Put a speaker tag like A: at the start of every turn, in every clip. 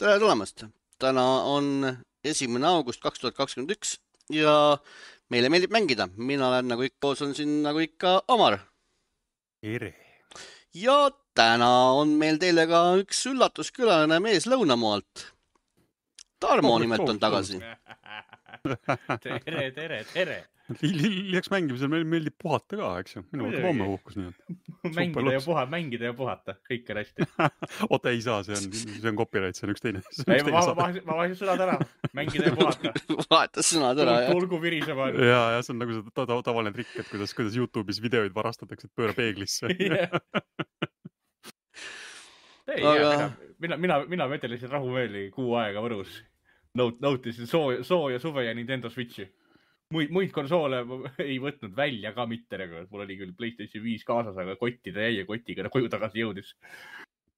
A: Tere tulemast! Täna on 1. august 2021 ja meile meeldib mängida. Mina olen nagu ikka, koos on siin nagu ikka Omar.
B: Tere.
A: Ja täna on meil teile ka üks üllatuskülaline mees Lõunamaalt. Tarmo nimelt on tagasi.
C: Tere.
B: Lisaks mängimisel meil meeldib puhata ka, eks ju. Minu võtab homme puhkus nii.
C: Mängida ja puhata, kõik on hästi.
B: Oota, ei saa, see on copyright, see on üks teine.
C: Ma vahesin sõnad ära. Mängida ja puhata.
A: Vahetas sõnad ära, jah.
C: Tulgu virisema.
B: Ja see on nagu see tavaline trikk, et kuidas YouTube'is videoid varastatakse, et pööra peeglisse. Mina vetelisin rahumeeli kuu aega Võrus. Nautisin sooja suve ja Nintendo Switchi. Muid konsoole ei võtnud välja ka mitte. Mul oli küll PlayStation 5 kaasas, aga kottida jäi ja kotiga koju tagasi jõudis.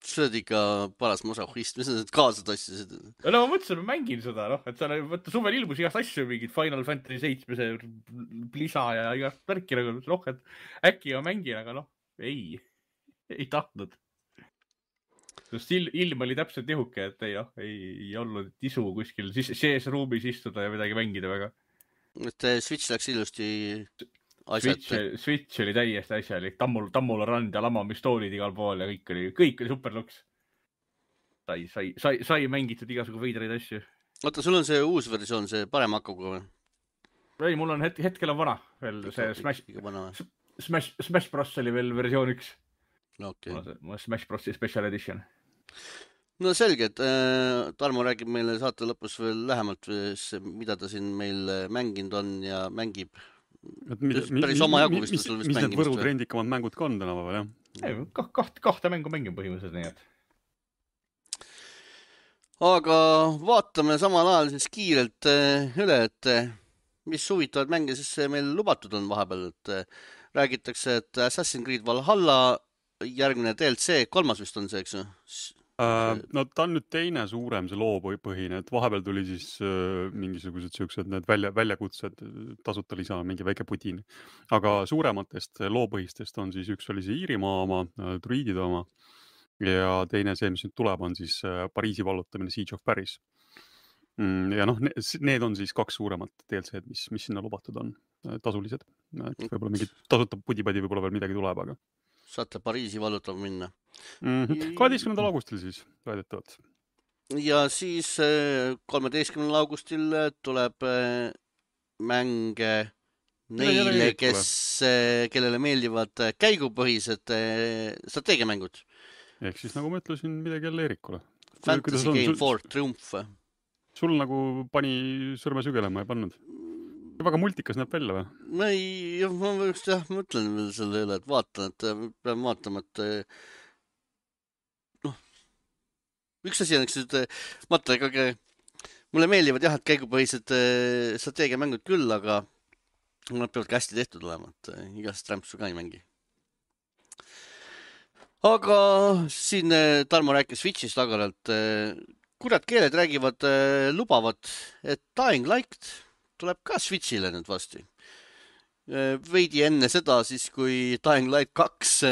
A: See on ikka paras masohhist. Mis sa kaasa tassisid?
C: No ma mõtlesin, ma mängin seda. Et suvel ilmus igast asju, mingid Final Fantasy 7, Blisa ja igast värki. Et äkki ma mängin, aga ei tahtnud. Ilm oli täpselt nihuke, et ei olnud isu kuskil sees ruumis istuda ja midagi mängida väga.
A: Et Switch läks ilusti asjata.
C: Switch oli täiesti asjalik. Tammula rand ja lamamistoolid igal pool ja kõik oli superluks. Sai mängitud igasugu veidraid asju.
A: Oota, sul on see uus versioon, see parem hakuga või?
C: Ei, mul on hetkel on vana. Veel see Smash Bros oli veel versioon 1. Mul Smash Brosi Special Edition.
A: No selge, et Tarmo räägib meile saate lõpus veel lähemalt, mida ta siin meil mänginud on ja mängib. Päris oma jagu vist sul vist
B: mängimist. Mis need Võru
A: või?
B: trendikamad mängud ka on tänapäeval, jah?
C: Kahte mängu mängin põhimõtteliselt nii, et.
A: Aga vaatame samal ajal siis kiirelt üle, et mis huvitavad mänge siis meil lubatud on vahepeal. Et räägitakse, et Assassin's Creed Valhalla järgmine DLC, 3. vist on see, eks ju?
B: No ta on nüüd teine suurem, see loopõhine, et vahepeal tuli siis mingisugused siuksed need väljakutsed, tasuta lisa, mingi väike putin. Aga suurematest loopõhistest on siis üks oli see Iirimaa oma, Druidide oma ja teine see, mis nüüd tuleb, on siis Pariisi vallutamine Siege of Paris. Ja need on siis 2 suuremat DLC-d, mis sinna lubatud on, tasulised. Võib-olla mingi tasuta pudipadi võib-olla veel midagi tuleb, aga
A: saate Pariisi vallutama minna.
B: 12. augustil siis väidetavalt.
A: Ja siis 13. augustil tuleb mänge neile, kellele meeldivad käigupõhised strateegiamängud.
B: Ehk siis nagu ma ütlesin, midagi jälle Eerikule.
A: Fantasy Game 4 Triumph.
B: Sul nagu pani sõrme sügelema, ei pannud? Väga multikas näeb välja või?
A: Ma just mõtlen veel selle üle, et vaatan, et pean vaatama, et üks asi on, eks mulle meeldivad jah, et käigupõhised strateegiamängud küll, aga nad peavad ka hästi tehtud olema, et igast rämpsu ka ei mängi. Aga siin Tarmo rääkis Switchist agaralt. Kurat keeled räägivad, lubavad, et Dying Light tuleb ka Switchile nüüd vasti. Veidi enne seda siis, kui Dying Light 2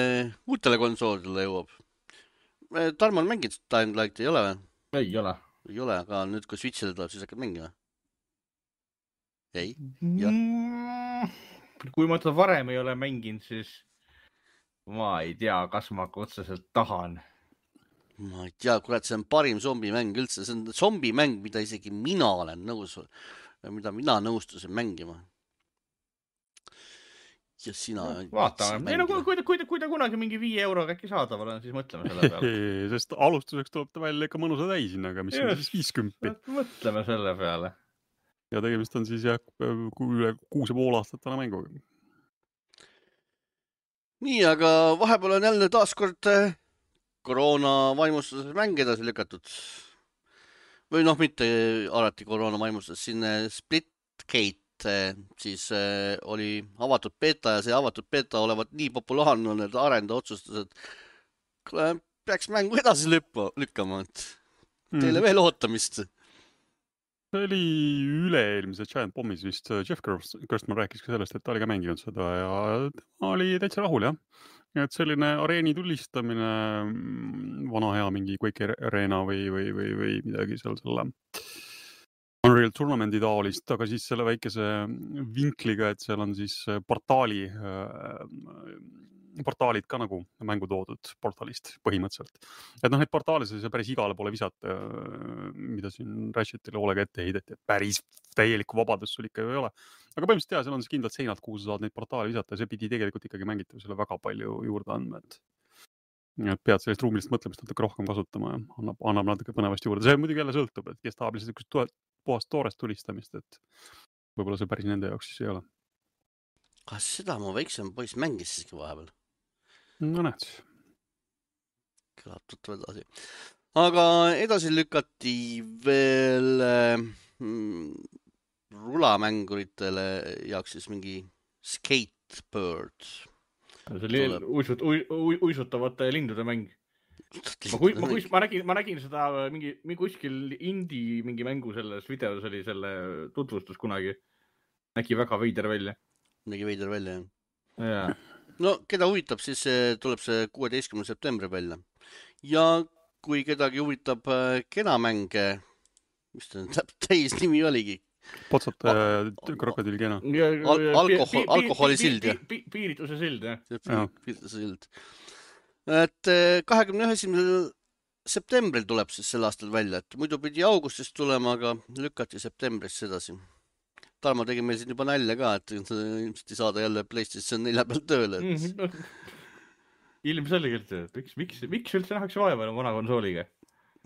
A: uutele konsoolidele jõuab. Tarmo on mänginud Dying Light, ei ole või?
C: Ei ole.
A: Ei ole, aga nüüd kui Switchile tuleb, siis hakkad mängima? Ei?
C: Kui ma varem ei ole mänginud, siis ma ei tea, kas ma otseselt tahan.
A: Ma ei tea, kurat, see on parim zombimäng üldse. See on zombimäng, mida isegi mina olen nõus, mida mina nõustusin mängima. Ja sina...
C: Vaatame. Kui ta kunagi mingi 5 euroga äkki saadaval on, siis mõtleme selle peale.
B: Sest alustuseks tuleb ta välja ikka mõnusa täisina, aga mis on siis 50.
C: Mõtleme selle peale.
B: Ja tegemist on siis üle 6,5 aastat täna mänguga.
A: Nii, aga vahepeal on jälle taaskord koroona vaimustuses mäng edasi lükatud. Või mitte alati koroona vaimustus. Siin Splitgate siis oli avatud beta ja see avatud beta olevat nii populaarne on, et arendaja otsustas, et peaks mängu edasi lükkama. Teile veel ootamist.
B: See oli üle-eelmise Giant Bombis vist. Jeff Gerstmann rääkis ka sellest, et ta oli ka mänginud seda ja ta oli täitsa rahul, jah. et selline areeni tulistamine, vana hea mingi Quake Arena või midagi seal selle Unreal Tournamenti taolist, aga siis selle väikese vinkliga, et seal on siis portaalid ka nagu mängu toodud portaalist põhimõtteliselt. Et noh, neid portaale sai päris igale poole visata, mida siin Ratchetile hoolega ette heideti, et päris täielikku vabadust sul ikka ju ei ole. Aga põhimõtteliselt seal on siis kindlad seinad, kuhu sa saad neid portaale visata ja see pidi tegelikult ikkagi mängitavusele väga palju juurde andma, et pead sellist ruumilist mõtlemist natuke rohkem kasutama ja annab natuke põnevast juurde. See muidugi jälle sõltub, et kes tahab lihtsalt puhast toorest tulistamist, et võib-olla see päris nende jaoks siis ei ole.
A: Kas seda mu väiksem poiss mängis siiski vahepeal?
B: No näed.
A: Kõlab tuttu edasi. Aga edasi lükati veel rulamänguritele jaoks siis mingi Skatebird.
C: See oli uisutavate lindude mäng. Ma nägin seda mingi kuskil indie mingi mängu selles videos oli selle tutvustus kunagi. Nägi väga veider välja.
A: Nägi veider välja,
C: jah. Yeah.
A: No, keda huvitab, siis tuleb see 16. septembri välja. Ja kui kedagi huvitab kenamänge, mis ta täis nimi oligi?
B: Potsate krokodil kena.
A: Alkoholi sild, jah?
C: Piirituse sild, jah.
A: Piirituse sild. Et 21. septembril tuleb siis sel aastal välja, et muidu pidi augustist tulema, aga lükati septembris sedasi. Tarmo tegi meil siin juba nalja ka, et ilmselt ei saada jälle PlayStation 4 peal tööle.
C: Ilmselgelt, miks üldse nähakse vaeva vana konsooliga?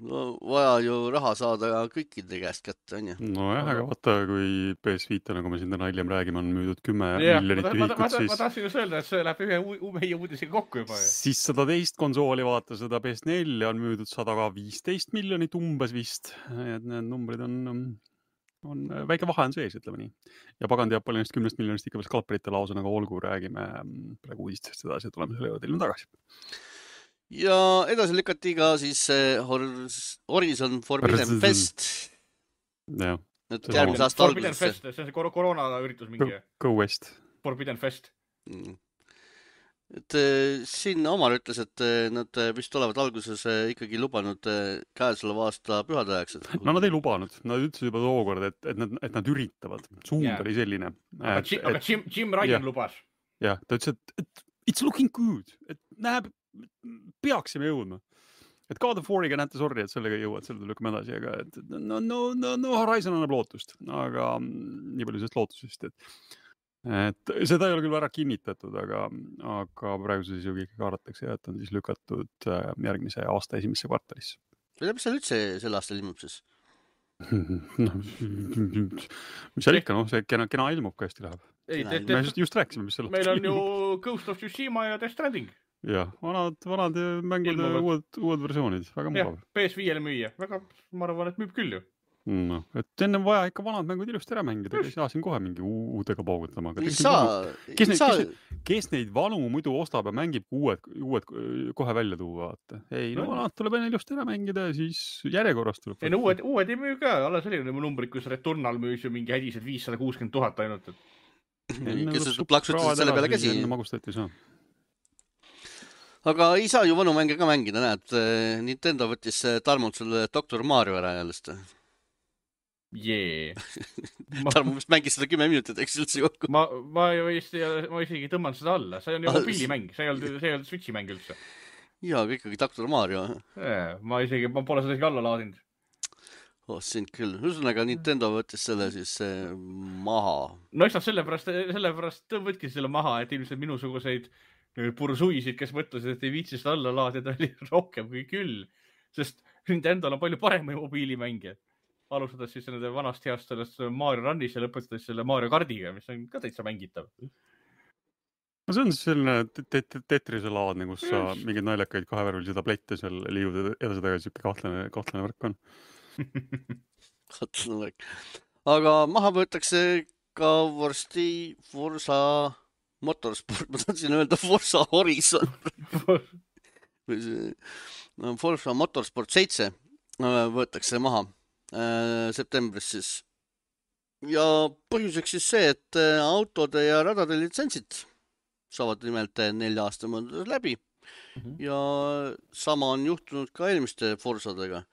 A: No vaja ju raha saada kõikide käest kätte, on ju?
B: No jah, aga vaata, kui PS5, nagu me siin täna hiljem räägime, on müüdud 10 miljonit ühikut, siis...
C: Ma tahtsin just öelda, et see läheb ühe meie uudisega kokku juba.
B: Siis 110 konsooli vaata, seda PS4 on müüdud 115 miljonit umbes vist. Et need numbrid on väike vahe on sees, ütleme nii. Ja pagan teab palju neist 10 miljonist ikka veel skalperite lausa, nagu olgu räägime praegu uudistest edasi ja tuleme selle juurde ilma tagasi.
A: Ja edasi lükati ka siis Horizon Forbidden Fest.
B: Ja.
A: Järgmise aasta alguses.
C: See on see koroona üritus mingi.
B: Go West.
C: Forbidden Fest.
A: Et siin Omar ütles, et nad vist olevad alguses ikkagi lubanud käesoleva aasta pühade ajaks.
B: No nad ei lubanud. Nad ütlesid juba tookord, et nad üritavad. Suund oli selline.
C: Aga Jim Ryan lubas.
B: Jah, ta ütles, et it's looking good. Et näeb, peaksime jõudma. Et God of War'iga näete, sorry, et sellega ei jõua, et selle lükkame edasi, aga no Horizon annab lootust, aga nii palju sellest lootusest, et seda ei ole küll ära kinnitatud, aga praegu siis ju kõik arvatakse, et on siis lükatud järgmise aasta esimesse kvartalisse.
A: Mis seal üldse selle aastal ilmub siis?
B: Mis seal ikka, see kena ilmub, kui hästi läheb. Me just rääkisime, mis selle
C: meil on ju Ghost of Tsushima ja Death Stranding.
B: Jah, vanad mängud uued versioonid, väga mugav.
C: PS5-le müüa, ma arvan, et müüb küll ju.
B: No, et enne vaja ikka vanad mängud ilusti ära mängida, ei saa siin kohe mingi uudega paugutama. Kes neid vanu muidu ostab ja mängib uued kohe välja tuua, vaata. Ei, no vanad tuleb enne ilusti ära mängida ja siis järjekorrast tuleb.
C: Ei, no uued ei müü ka, alles oli numbrid, kus Returnal müüs ju mingi hädised 560 000 ainult.
A: Kes plaksutasid selle peale käsi?
B: Enne magustati ei saa.
A: Aga ei saa ju vanu mänge ka mängida, näed. Nintendo võttis Tarmult selle Dr. Mario ära jällest.
C: Jee.
A: Tarmo vist mängis seda 10 minutit, eks üldse kokku.
C: Ma isegi tõmban seda alla. See on ju mobiilimäng, see ei olnud Switchi mäng üldse.
A: Jaa, aga ikkagi Dr. Mario.
C: Ma pole seda isegi alla laadinud.
A: Sind küll. Ühesõnaga Nintendo võttis selle siis maha.
C: No eks nad sellepärast võtki selle maha, et ilmselt minusuguseid pursuisid, kes mõtlesid, et ei viitsi seda alla laadida, oli rohkem kui küll. Sest Nintendol on palju paremaid mobiilimänge. Alustades siis nende vanast heast sellest Mario Runnis ja lõpetades selle Mario Kardiga, mis on ka täitsa mängitav.
B: No see on siis selline Tetrise laadne, kus sa mingid naljakaid kahevärvilisi tablette seal liiud edasi tagasi, kahtlane värk on.
A: Kahtlane värk. Aga maha võetakse ka vorsti Forza Motorsport, ma tahtsin öelda Forza Horizon. Forza Motorsport 7 võetakse maha septembris siis. Ja põhjuseks siis see, et autode ja radade litsentsid saavad nimelt 4 aasta mõõdus läbi ja sama on juhtunud ka eelmiste Forzadega.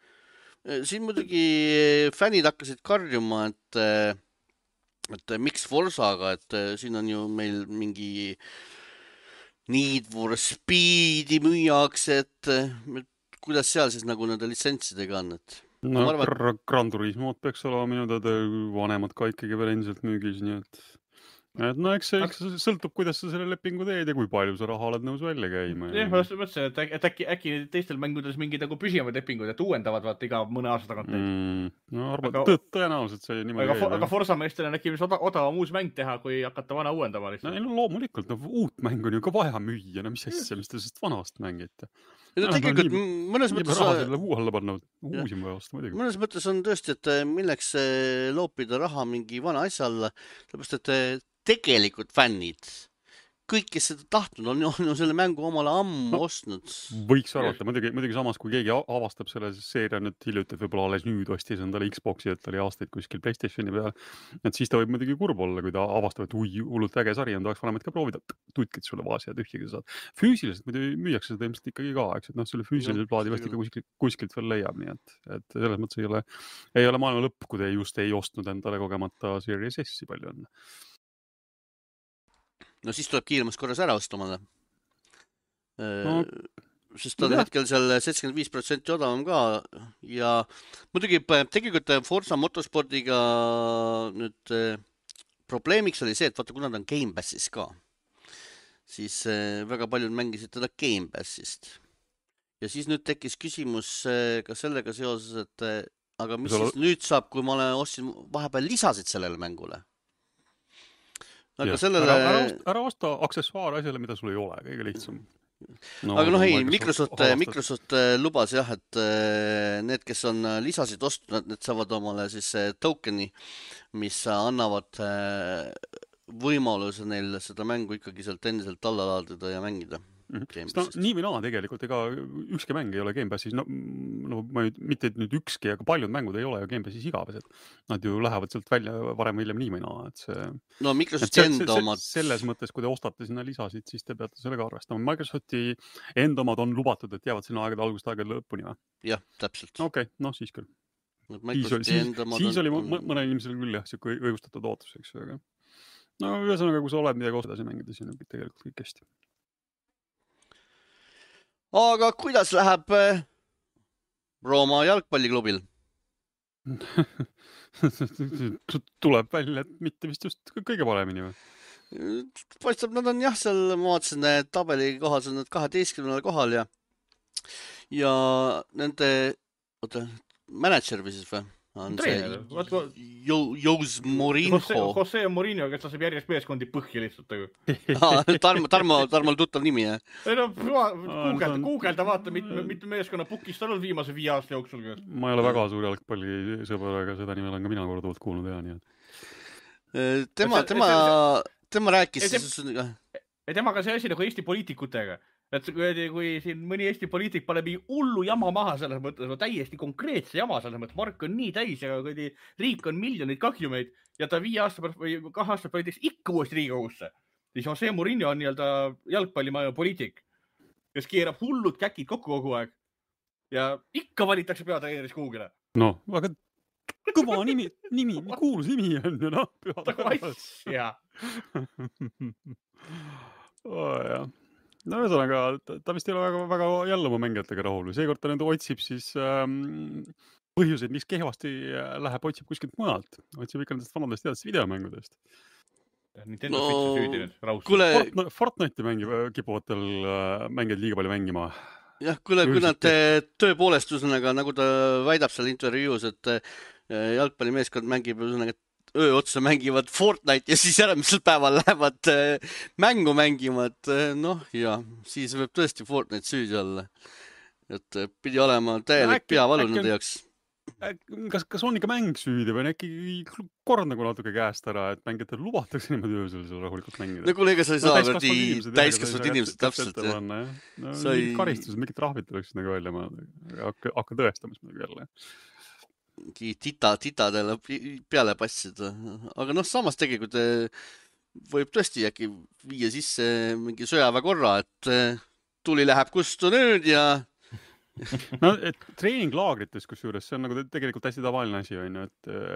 A: Siin muidugi fännid hakkasid karjuma, et miks Forzaga, et siin on ju meil mingi Need for Speedi müüakse, et kuidas seal siis nagu nende litsentsidega on, et
B: no
A: ma arvan,
B: Gran Turismo'd peaks olema minu teada vanemad ka ikkagi veel endiselt müügis, nii et no eks see sõltub, kuidas sa selle lepingu teed ja kui palju sa raha oled nõus välja käima.
C: Jah, ma mõtlesin, et äkki teistel mängudes mingid nagu püsivad lepingud, et uuendavad vaata iga mõne aasta tagant.
B: No arvan, tõenäoliselt see niimoodi
C: käib. Aga Forza meestel on äkki odavam uus mäng teha, kui hakata vana uuendama lihtsalt.
B: No loomulikult, uut mängu on ju ka vaja müüa, no mis asja, mis te sellest vanast mängite.
A: No tegelikult mõnes mõttes mõnes mõttes on tõesti, et milleks loopida raha mingi vana asja alla, sellepärast, et tegelikult fännid, kõik, kes seda tahtnud on selle mängu omale ammu ostnud.
B: Võiks arvata, muidugi samas, kui keegi avastab selle seeria nüüd hiljuti, et võib-olla alles nüüd ostis endale Xboxi, et oli aastaid kuskil PlayStationi peal, et siis ta võib muidugi kurb olla, kui ta avastab, et hullult äge sari on, tahaks vanemad ka proovida, tutkid sulle vaasi ja tühjagi saad. Füüsiliselt muidu müüakse seda ilmselt ikkagi ka, eks, et selle füüsilise plaadi vast ikka kuskilt veel leiab, nii et selles mõttes ei ole maailma lõpp, kui te just ei ostnud endale kogemata Series S-i palju enne.
A: No siis tuleb kiiremas korras ära osta omale. Sest ta on hetkel seal 75% odavam ka ja muidugi tegelikult Forza Motorsportiga nüüd probleemiks oli see, et vaata, kuna ta on Game Passis ka, siis väga paljud mängisid teda Game Passist. Ja siis nüüd tekkis küsimus ka sellega seoses, et aga mis siis nüüd saab, kui ma ostsin vahepeal lisasid sellele mängule? Aga sellele...
B: ära osta aksessuaar asjale, mida sul ei ole, kõige lihtsam.
A: Aga ei, Microsoft lubas jah, et need, kes on lisasid ostnud, need saavad omale siis tokeni, mis annavad võimaluse neil seda mängu ikkagi sealt endiselt alla laadida ja mängida.
B: Nii või naa tegelikult, ega ükski mäng ei ole Game Passis, mitte nüüd ükski, aga paljud mängud ei ole ju Game Passis igavesed. Nad ju lähevad sealt välja varem või hiljem nii või naa, et see...
A: No Microsofti enda omad...
B: Selles mõttes, kui te ostate sinna lisasid, siis te peate sellega arvestama. Microsofti enda omad on lubatud, et jäävad sinna aegade algust aegade lõpuni või?
A: Jah, täpselt.
B: Okei, siis küll. Siis oli mõne inimesel küll jah, siuke õigustatud ootus, eks. No ühesõnaga, kui sa oled midagi edasi mängida, siis on tegelikult kõik hästi.
A: Aga kuidas läheb Rooma jalgpalliklubil?
B: Tuleb välja, et mitte vist just kõige paremini või?
A: Paistab, nad on jah, seal ma vaatasin, tabeli kohas on nad 12. kohal ja nende manager või siis või? On
C: treener.
A: Jose Mourinho.
C: Jose Mourinho, kes laseb järjest meeskondi põhja lihtsalt.
A: Tarmal tuttav nimi, jah?
C: Guugelda vaata, mitte meeskonna pukist on olnud viimase 5 aasta jooksul.
B: Ma ei ole väga suur jalgpallisõber, aga seda nime olen ka mina korduvalt kuulnud ja nii.
A: Tema rääkis...
C: Temaga see asi nagu Eesti poliitikutega. Et kui siin mõni Eesti poliitik paneb hullu jama maha selles mõttes, täiesti konkreetse jama selles mõttes, Mark on nii täis ja kui riik on miljoneid kahjumeid ja ta 5 aasta pärast või 2 aasta pärast ikka uuesti Riigikogusse, siis on see Mourinho on nii-öelda jalgpallimaja poliitik, kes keerab hullud käkid kokku kogu aeg ja ikka valitakse peatreeneris kuhugile.
B: No, aga kõva nimi, kuulus nimi on ju, noh.
C: Jah.
B: Jah. No ühesõnaga, ta vist ei ole väga jälle oma mängijatega rahul. Seekord ta nüüd otsib siis põhjuseid, mis kehvasti läheb, otsib kuskilt mujalt. Otsib ikka nendest vanadest teadest videomängudest.
C: Nintendo Switchi süüdi nüüd raus.
B: Fortnite'i kipuvatel mängijad liiga palju mängima.
A: Jah, kui nad tõepoolest, nagu ta väidab seal intervjuus, et jalgpallimeeskond mängib öö otsa mängivad Fortnite ja siis järgmisel päeval lähevad mängu mängima, et siis võib tõesti Fortnite süüdi olla. Et pidi olema täielik peavalu nende jaoks.
B: Kas on ikka mäng süüdi või on äkki kord nagu natuke käest ära, et mängijatel lubatakse niimoodi öösel seal rahulikult mängida?
A: No kuule, ega sa ei saa täiskasvanud inimesed täpselt.
B: Karistused, mingid trahvid tuleks nagu välja, ma hakka tõestamas midagi jälle.
A: Titadele peale passida. Aga samas tegelikult võib tõesti äkki viia sisse mingi sõjaväekorra, et tuli läheb kustu nüüd ja
B: no et treeninglaagrites kusjuures see on nagu tegelikult hästi tavaline asi on ju,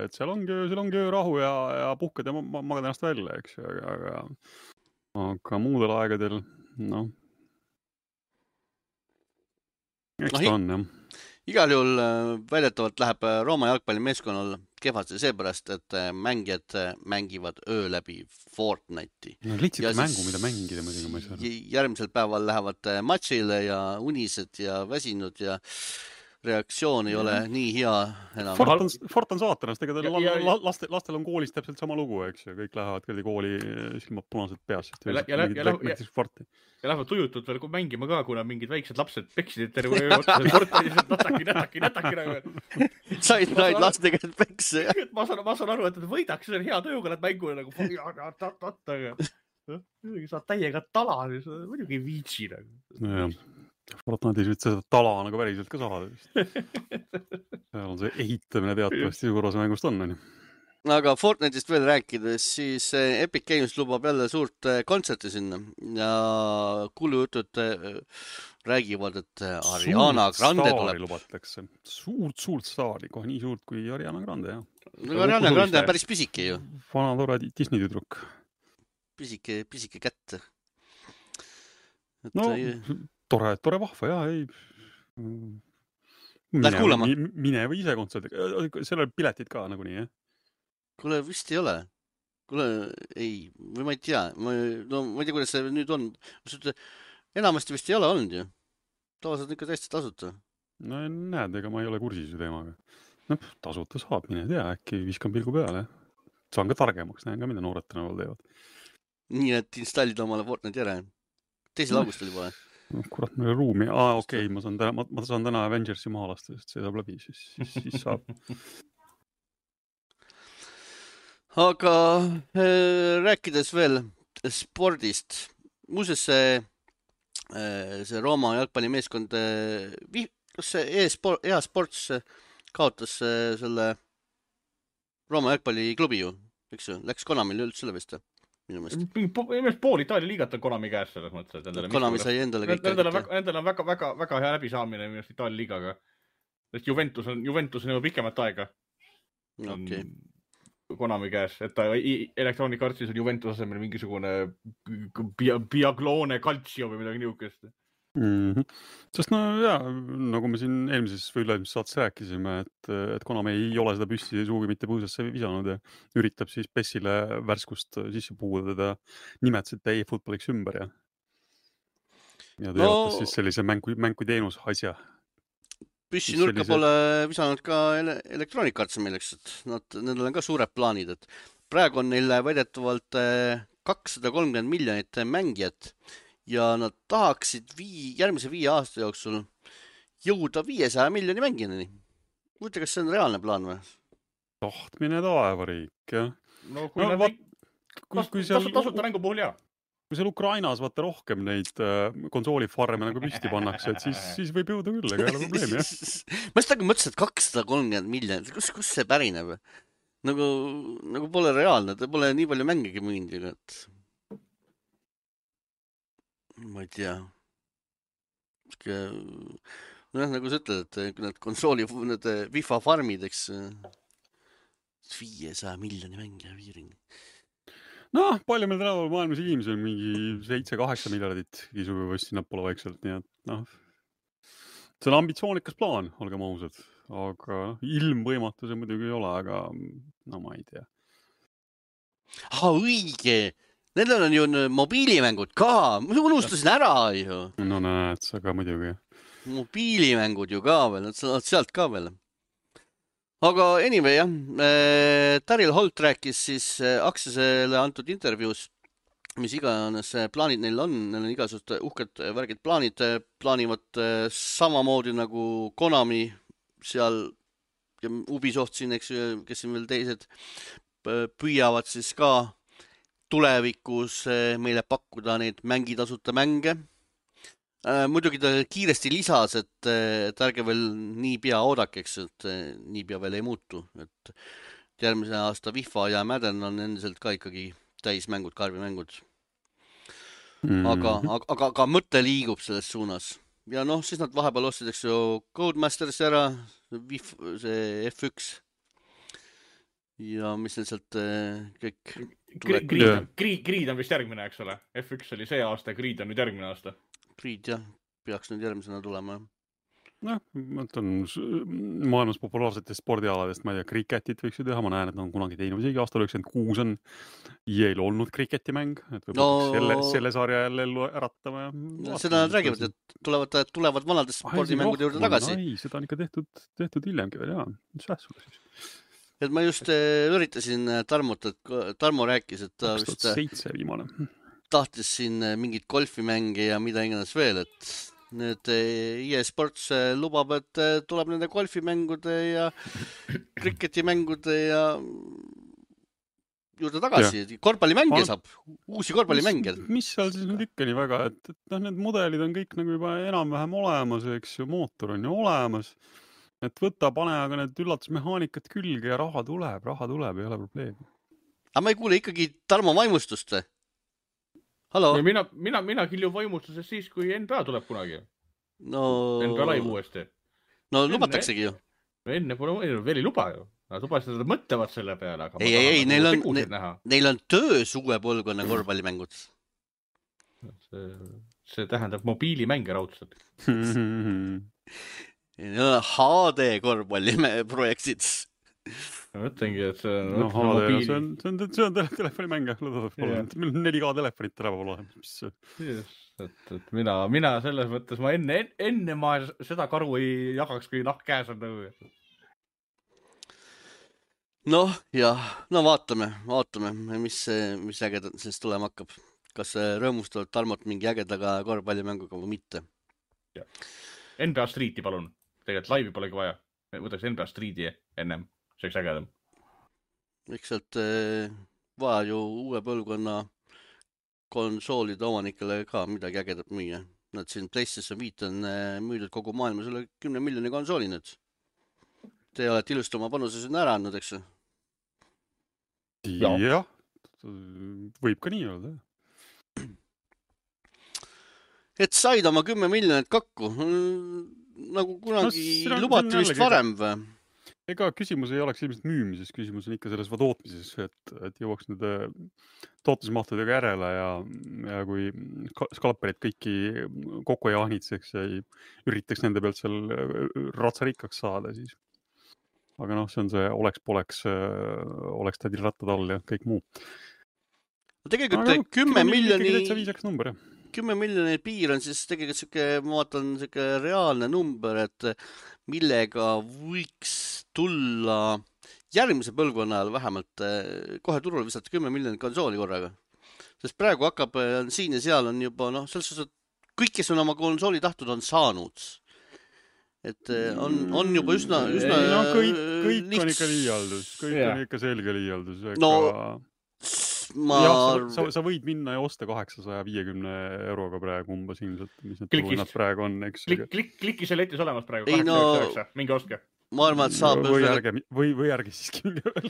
B: et seal ongi rahu ja puhkad ja magad ennast välja, eks ju, aga muudel aegadel noh, eks ta on jah.
A: Igal juhul väidetavalt läheb Rooma jalgpallimeeskonnal kehvasti seepärast, et mängijad mängivad öö läbi Fortnite'i.
B: No lihtsalt mängu, mida mängida muidugi ma ei saa.
A: Järgmisel päeval lähevad matšile ja unised ja väsinud ja reaktsioon ei ole nii hea enam.
B: Fort on saatanast, ega lastel on koolis täpselt sama lugu, eks ju, kõik lähevad kooli silmad punased peas.
C: Ja lähevad tujutult veel mängima ka, kuna mingid väiksed lapsed peksid terve öö otsa, nätaki.
A: Said lastega pekse, jah?
C: Ma saan aru, et võidaks, see on hea tööga, need mängu nagu saad täiega tala, muidugi ei viitsi.
B: Fortnite'is võid seda tala nagu päriselt ka saada. Seal on see ehitamine teatavasti suuras mängust on.
A: Aga Fortnite'ist veel rääkides, siis Epic Games lubab jälle suurt kontserti sinna ja kuulujutud räägivad, et Ariana Grande tuleb.
B: Lubatakse. Suurt staari, kohe nii suurt kui Ariana Grande, jah.
A: No, Ariana Grande on päris pisike ju.
B: Vana tore Disney tüdruk.
A: Pisike kätt.
B: No, tore vahva, jah, ei.
A: Lähed kuulama?
B: Mine või ise kontserdiga. Seal on piletid ka nagunii, jah?
A: Kuule, vist ei ole. Kuule, ei, või ma ei tea. Ma ei tea, kuidas see nüüd on. Enamasti vist ei ole olnud ju. Tavaliselt on ikka täiesti tasuta.
B: No näed, ega ma ei ole kursis ju teemaga. No, tasuta saab, mine tea, äkki viskan pilgu peale. Saan ka targemaks, näen ka, mida noored tänaval teevad.
A: Nii, et installida omale Fortnite järele. 2. augustil juba.
B: No, kurat, meil on ruumi. Okei, ma saan täna Avengersi maha lasta, sest see saab läbi, siis saab. Aga
A: rääkides veel spordist, muuseas see Rooma jalgpallimeeskond, kas see EA-sports kaotas selle Rooma jalgpalliklubi ju, eks ju, läks Konamil üldse üle vist minu meelest.
C: Pool Itaalia liigat on Konami käes selles mõttes.
A: Konami sai endale kõik.
C: Endale on väga hea läbisaamine minu meelest Itaalia liigaga. Sest Juventus on juba pikemat aega.
A: Okay.
C: Konami käes, et Electronic Artsis on Juventus asemel mingisugune Biaglone Calcio või midagi niukest.
B: Sest no jaa, nagu me siin eelmises või üleilmises saates rääkisime, et Konami ei ole seda püssi suugi mitte põõsasse visanud ja üritab siis PES-ile värskust sisse puuda teda nimetasid e-footballiks ümber ja teevad siis sellise mängu teenus asja.
A: Püssi nurka pole visanud ka Electronic Arts milleks, et nendel on ka suured plaanid, et praegu on neil väidetavalt 230 miljonit mängijat ja nad tahaksid järgmise 5 aasta jooksul jõuda 500 miljoni mängijani. Mõtle, kas see on reaalne plaan või?
B: Tahtmine taevariik, jah.
C: No kui tasuta mängu puhul jah.
B: Kui seal Ukrainas vaata rohkem neid konsoolifarme nagu püsti pannakse, et siis võib jõuda küll, ega ei ole probleemi, jah.
A: Ma seda mõtlesin, et 230 miljonit, kus see pärineb? Nagu pole reaalne, ta pole nii palju mängigi müünud, et ma ei tea. Nagu sa ütled, et need konsooli, need FIFA farmid, eks 500 miljoni mängija viiring.
B: No, palju meil tänaval maailmas inimesi on mingi 7-8 miljardit kisuga või sinnapoole vaikselt, nii et noh, see on ambitsioonikas plaan, olgem ausad, aga ilmvõimatu see muidugi ei ole, aga no ma ei tea.
A: Õige! Nendel on ju mobiilimängud ka, ma unustasin ära ju.
B: No näed, sa ka muidugi.
A: Mobiilimängud ju ka veel, nad saavad sealt ka veel. Aga anyway, jah, Daryl Holt rääkis siis Axiosele antud intervjuus, mis iganes plaanid neil on igasugused uhked värgid plaanivad samamoodi nagu Konami seal ja Ubisoft siin, eks ju, kes siin veel teised püüavad siis ka tulevikus meile pakkuda neid mängitasuta mänge. Muidugi ta kiiresti lisas, et ärge veel nii pea oodakeks, et nii pea veel ei muutu. Et järgmise aasta FIFA ja Madden on endiselt ka ikkagi täismängud, karbimängud. Aga mõte liigub selles suunas. Ja noh, siis nad vahepeal ostsid, eks ju, Codemasters ära, see F1 ja mis neil sealt kõik
C: Creed on vist järgmine, eks ole. F1 oli see aasta, Creed on nüüd järgmine aasta.
A: Creed, jah, peaks nüüd järgmisena tulema.
B: Noh, ma ütlen, maailmas populaarsetest spordialadest, ma ei tea, kriketit võiks ju teha, ma näen, et on kunagi teinud isegi aastal 96 on EA-l olnud kriketimäng, et võib-olla selle sarja jälle ellu äratama.
A: Seda nad räägivad, et tulevad vanadest spordimängude juurde tagasi.
B: Ei, seda on ikka tehtud hiljemgi veel, jaa. Mis sulle siis?
A: Et ma just üritasin Tarmot, et Tarmo rääkis, et ta
B: 2007 viimane.
A: Tahtis siin mingit golfimängi ja mida iganes veel, et nüüd EA Sports lubab, et tuleb nende golfimängude ja kriketimängude ja juurde tagasi. Korvpallimänge saab, uusi korvpallimänge.
B: Mis seal siis nüüd ikka nii väga, et need mudelid on kõik nagu juba enam-vähem olemas, eks ju, mootor on ju olemas. Et võta, pane aga need üllatusmehaanikad külge ja raha tuleb, ei ole probleemi.
A: Aga ma ei kuule ikkagi Tarmo vaimustust. Hallo?
C: Mina kilju vaimustuses siis, kui NBA tuleb kunagi.
A: No...
C: NBA live uuesti.
A: No lubataksegi ju.
C: Enne pole veel ei luba ju. Nad lubasid, et mõtlevad selle peale. Aga
A: ei, neil on töös uue põlvkonna korvpallimängud.
C: See tähendab mobiilimänge raudselt.
A: HD korvpalliprojektid.
C: Ma mõtlengi, et see on...
B: No HD, see on telefonimäng. Meil 4K telefonit tänapäeval olemas. Et mina selles mõttes, ma enne ma seda karu ei jagaks, kui nahk käes on nõu.
A: Noh, jah. No vaatame, mis ägedat sellest tulema hakkab. Kas rõõmustavad Tarmot mingi ägedaga korvpallimänguga või mitte?
C: NBA Streeti, palun. Tegelikult laivi polegi vaja. Võtaks NBA Streeti ennem. See oleks ägedam. Eks
A: sealt vaja ju uue põlvkonna konsoolide omanikele ka midagi ägedat müüa. Nad siin PlayStation 5 on müüdud kogu maailmas üle 10 miljoni konsooli nüüd. Te olete ilusti oma panuse sinna ära andnud, eks?
B: Jah, võib ka nii öelda.
A: Et said oma 10 miljonit kokku. Nagu kunagi lubati vist varem või?
B: Ega küsimus ei oleks ilmselt müümises, küsimus on ikka selles tootmises, et jõuaks nende tootmismahtudega järele ja kui skalperid kõiki kokku ei ahnitseks ja ei üritaks nende pealt seal ratsarikkaks saada, siis. Aga noh, see on see oleks tädil rattad all ja kõik muu.
A: Tegelikult 10
B: miljoni
A: piir on siis tegelikult ma vaatan reaalne number, et millega võiks tulla järgmise põlvkonna ajal vähemalt kohe turule visata 10 miljonit konsooli korraga. Sest praegu hakkab siin ja seal on juba, selles suhtes, et kõik, kes on oma konsooli tahtud, on saanud. Et on juba üsna
B: kõik on ikka liialdus. Kõik on ikka selge liialdus. Sa võid minna ja osta 850 euroga praegu umbes ilmselt, mis need turuhinnad praegu on, eks.
C: Klikki see letis olemas praegu, 899, mingi ostke.
A: Ma arvan, et saab...
B: Või ärge siiski mingi veel.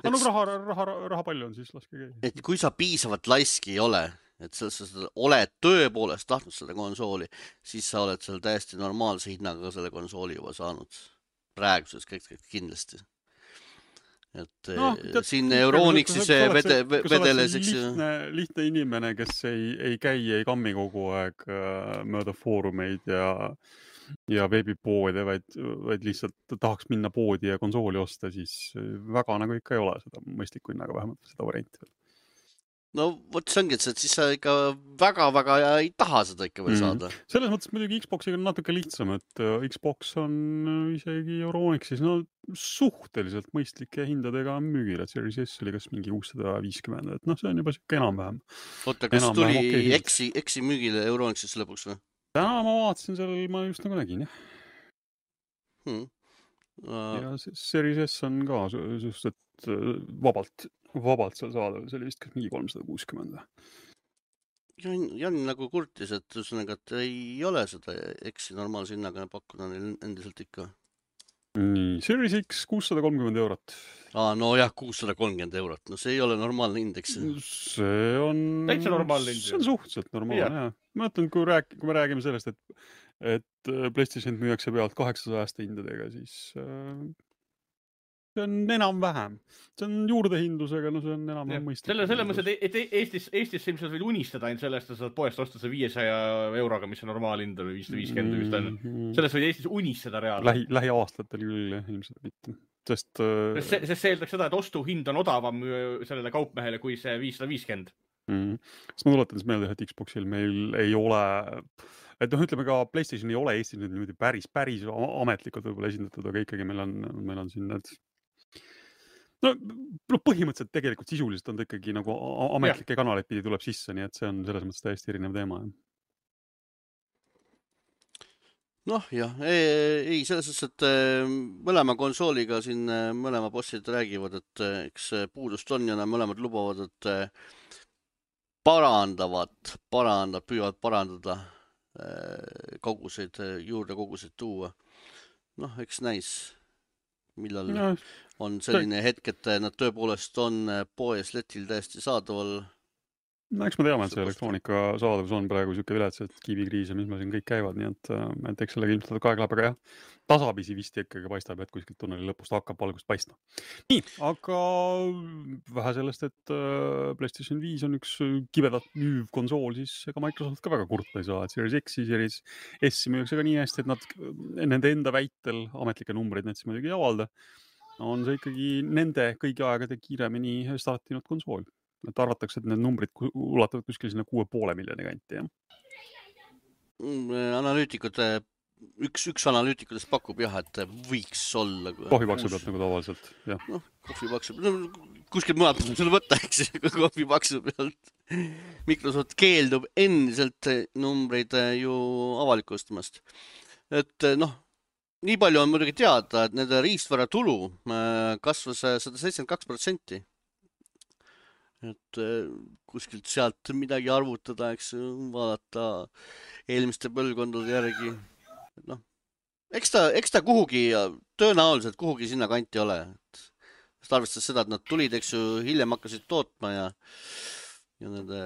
B: Raha palju on, siis laske käi.
A: Et kui sa piisavalt laiski ei ole, et sa oled tõepoolest tahtnud seda konsooli, siis sa oled seal täiesti normaalse hinnaga selle konsooli juba saanud. Praeguses kõik kindlasti. Et siin Euronixis vedeles, eks ju.
B: Lihtne inimene, kes ei käi, ei kammi kogu aeg mööda foorumeid ja veebipoode, vaid lihtsalt tahaks minna poodi ja konsooli osta, siis väga nagu ikka ei ole seda mõistliku hinnaga vähemalt seda varianti.
A: No võt see ongi, et siis sa ikka väga ei taha seda ikka veel saada.
B: Selles mõttes muidugi Xboxiga on natuke lihtsam, et Xbox on isegi Euronixis suhteliselt mõistlike hindadega müügil, et Series S oli kas mingi 650, et see on juba siuke enam-vähem.
A: Oota, kas tuli Exi müügile Euronixis lõpuks või?
B: Täna ma vaatasin seal, ma just nagu nägin, jah. Ja Series S on ka suhteliselt vabalt seal saada, see oli vist mingi 360.
A: Jan nagu kurtis, et ei ole seda Exi normaalse hinnaga pakkuda neil endiselt ikka.
B: nii, Series X 630 €.
A: No jah, 630 €. No see ei ole normaalne indeks.
B: See on...
C: Täitsa normaalne indeks.
B: See on suhteliselt normaalne, jah. Ma mõtlen, kui me räägime sellest, et PlayStation müüakse pealt 800 hindadega, siis see on enam-vähem. See on juurdehindlusega, no see on enam-vähem mõistlik.
C: Selle mõttes, et Eestis ilmselt võid unistada ainult sellest, et saad poest osta see 500 € mis on normaalhind või 550 vist on. Sellest võid Eestis unistada reaalselt.
B: Lähiaastatel küll ilmselt mitte. Sest
C: see eeldaks seda, et ostuhind on odavam sellele kaupmehele kui see 550.
B: Sest ma tuletan siis meelde, et Xboxil meil ei ole, et ütleme ka PlayStation ei ole Eestis nüüd niimoodi päris ametlikult võib-olla esindatud, aga ikkagi meil on siin need põhimõtteliselt tegelikult sisuliselt on ta ikkagi nagu ametlike kanaleid pidi tuleb sisse, nii et see on selles mõttes täiesti erinev teema.
A: Noh, jah, ei, selles suhtes, et mõlema konsooliga siin mõlema bossid räägivad, et eks puudust on ja nad mõlemad lubavad, et püüavad parandada koguseid, juurde koguseid tuua. Noh, eks näis, millal on selline hetk, et nad tõepoolest on poes letil täiesti saadaval.
B: No eks me teame, et see elektroonika saadavus on praegu siuke vilets, et kiibikriis ja mis meil siin kõik käivad, nii et eks sellega ilmselt aeg läheb, aga jah, tasapisi vist ikkagi paistab, et kuskilt tunneli lõpust hakkab valgust paistma. Nii, aga vähe sellest, et PlayStation 5 on üks kibedat müüv konsool, siis ega Microsoft ka väga kurta ei saa, et Series X, Series S müüakse ka nii hästi, et nad nende enda väitel ametlikke numbreid need siis muidugi ei avalda. On see ikkagi nende kõigi aegade kiiremini startinud konsool. Et arvatakse, et need numbrid ulatavad kuskil sinna 6,5 miljoni kanti, jah?
A: Analüütikute, üks analüütikutest pakub jah, et võiks olla.
B: Kohvipaksu pealt nagu tavaliselt, jah.
A: Noh, kohvipaksu pealt. Kuskil mõned peab selle võtta, eks, kohvipaksu pealt. Microsoft keeldub endiselt numbreid ju avalikustamast. Et noh, nii palju on muidugi teada, et nende riistvara tulu kasvas 172%. Et kuskilt sealt midagi arvutada, eks vaadata eelmiste põlvkondade järgi. No, eks ta kuhugi, tõenäoliselt kuhugi sinna kanti ole. Sest arvestades seda, et nad tulid, eks ju, hiljem hakkasid tootma ja nende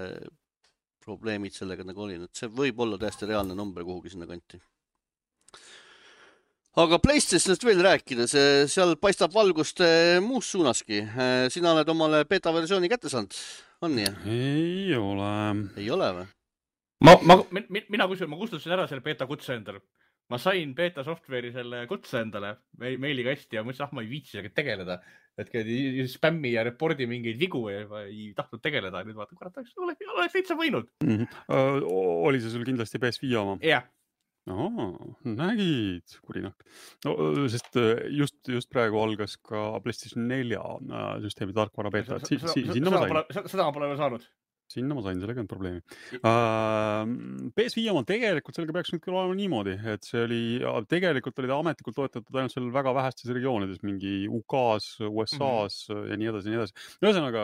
A: probleemid sellega nagu oli. See võib olla täiesti reaalne number kuhugi sinna kanti. Aga PlayStationist veel rääkides, seal paistab valgust muus suunaski. Sina oled omale beta-versiooni kätte saanud, on nii?
B: Ei ole.
A: Ei ole või?
C: Mina kustutasin ära selle beta kutse endale. Ma sain beta software'i selle kutse endale meiliga hästi ja mõtlesin, ma ei viitsi sellega tegeleda. Et spämmi ja repordi mingeid vigu ei tahtnud tegeleda. Nüüd vaata, kurat, oleks täitsa võinud.
B: Oli see sul kindlasti PS5 oma?
C: Jah.
B: Nägid, kurinak. No, sest just praegu algas ka PlayStation 4 süsteemi tarkvara beta. Sinna ma sain.
C: Seda ma pole veel saanud.
B: Sinna ma sain, sellega on probleemi. PS5 oma tegelikult sellega peaks nüüd küll olema niimoodi, et see oli, tegelikult oli ta ametlikult toetatud ainult seal väga vähestes regioonides, mingi UK-s, USA-s ja nii edasi, nii edasi. Ühesõnaga,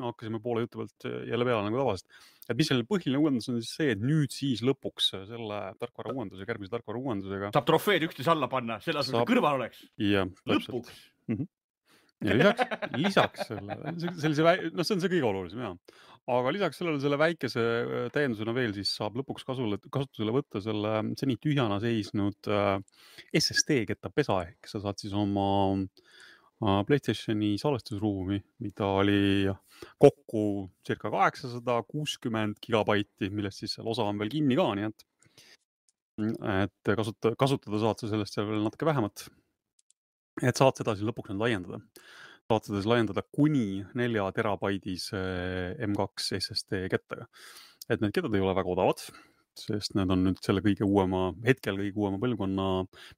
B: hakkasime poole jutu pealt jälle peale nagu tavaliselt. Et mis selle põhiline uuendus on siis see, et nüüd siis lõpuks selle tarkvara uuendusega, järgmise tarkvara uuendusega
C: saab trofeed üksteise alla panna, selle asemel kõrval oleks.
B: Ja,
C: lõpuks.
B: Ja lisaks selle, see on see kõige olulisem, jah. Aga lisaks selle väikese täiendusena veel siis saab lõpuks kasutusele võtta selle seni tühjana seisnud SSD-ketta pesa, ehk sa saad siis oma PlayStationi salvestusruumi, mida oli kokku circa 860 gigabaiti, millest siis seal osa on veel kinni ka, nii et kasutada saad sa sellest seal veel natuke vähemat. Et saad seda siis lõpuks laiendada. Saad seda siis laiendada kuni 4 terabaidis M2 SSD kettaga. Et need kettad ei ole väga odavad, sest need on nüüd selle hetkel kõige uuema põlvkonna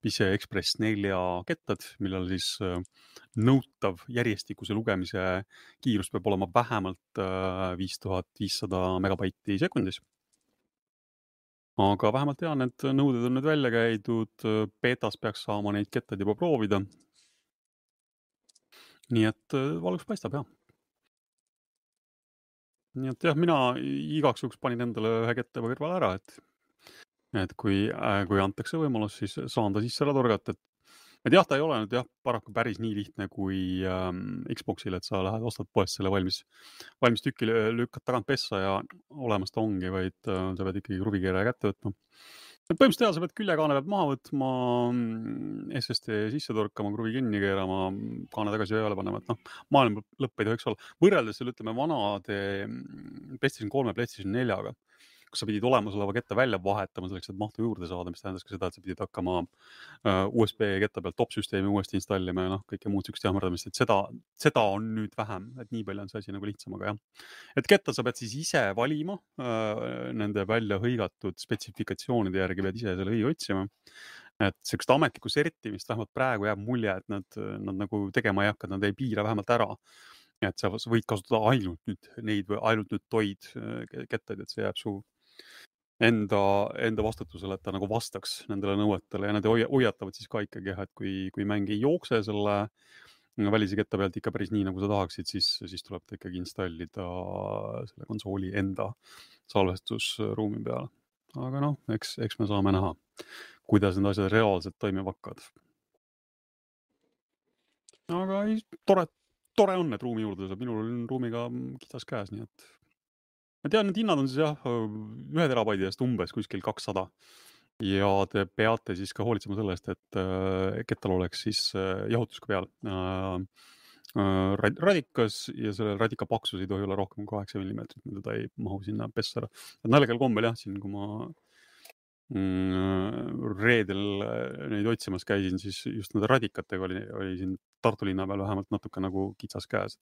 B: PCI Express 4 kettad, millel siis nõutav järjestikuse lugemise kiirus peab olema vähemalt 5500 megabaiti sekundis. Aga vähemalt tean, et nõuded on nüüd välja käidud, betas peaks saama neid kettad juba proovida. Nii et valgus paistab, jah. Nii et jah, mina igaks juhuks panin endale ühe kette kõrval ära, et kui antakse võimalus, siis saan ta sisse ära torgata, et jah, ta ei ole nüüd jah, paraku päris nii lihtne kui Xboxil, et sa lähed, ostad poest selle valmis tükki, lükkad tagant pessa ja olemas ta ongi, vaid sa pead ikkagi kruvikeeraja kätte võtma. Põhimõtteliselt sa pead küljekaane pealt maha võtma, SSD sisse torkama, kruvi kinni keerama, kaane tagasi ööle panema, et maailma lõpp ei tohiks olla. Võrreldes selle, ütleme, vanade PlayStation 3 ja PlayStation 4-ga, kus sa pidid olemasoleva ketta välja vahetama selleks, et mahtu juurde saada, mis tähendas ka seda, et sa pidid hakkama USB ketta pealt top-süsteemi uuesti installima ja kõike muud sükst jammerdamist, et seda on nüüd vähem, et nii palju on see asi nagu lihtsam, aga jah. Et ketta sa pead siis ise valima, nende välja hõigatud spetsifikatsioonide järgi pead ise selle õi otsima. Et sellist ametlikku sertimist vähemalt praegu jääb mulje, et nad nagu tegema ei hakka, nad ei piira vähemalt ära. Et sa võid kasutada ainult nüüd toid kettaid, et see jääb su enda vastutusele, et ta nagu vastaks nendele nõuetele ja nad hoiatavad siis ka ikkagi, et kui mäng ei jookse selle välise ketta pealt ikka päris nii, nagu sa tahaksid, siis tuleb ta ikkagi installida selle konsooli enda salvestusruumi peale. Aga eks me saame näha, kuidas need asjad reaalselt toimima hakkavad. Aga tore on, et ruumi juurde saab. Minul on ruumiga kitsas käes, nii et ma tean, need hinnad on siis 1 terabaidi eest umbes kuskil 200 ja te peate siis ka hoolitsema sellest, et kettal oleks siis jahutus ka peal. Radikas ja selle radika paksus ei tohi olla rohkem kui 8 mm, mida ta ei mahu sinna pessara. Naljagal kombel jah, siin kui ma reedel neid otsimas käisin, siis just nende radikatega oli siin Tartu linna peal vähemalt natuke nagu kitsas käes.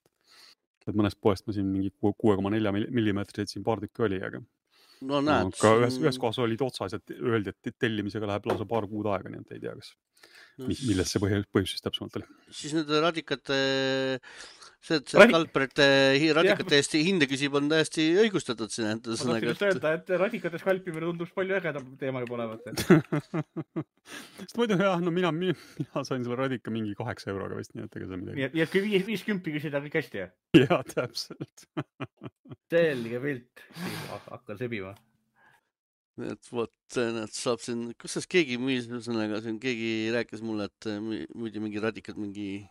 B: Et mõnest poest ma siin mingi 6,4 mm siin paar tükki oli, aga
A: näed,
B: ka ühes kohas olid otsas, et öeldi, et tellimisega läheb lausa paar kuud aega, nii et ei tea, kas millest see põhjus siis täpsemalt oli.
A: Siis nende radikate, see skalperite radikate eest hinde küsib on täiesti õigustatud siin.
C: Ma tahtsin just öelda, et radikate skalpimine tundub palju ägedam teema juba olevat.
B: Sest muidu jah, mina sain selle radika mingi 8 euroga vist, nii et ega see midagi.
C: Nii et kui 50 küsida kõik hästi, jah?
B: Jaa, täpselt.
C: Selge pilt. Hakkan sebima.
A: Et vot, nad saab siin, kus sest keegi müüs, keegi rääkis mulle, et müüdi mingi radikad mingi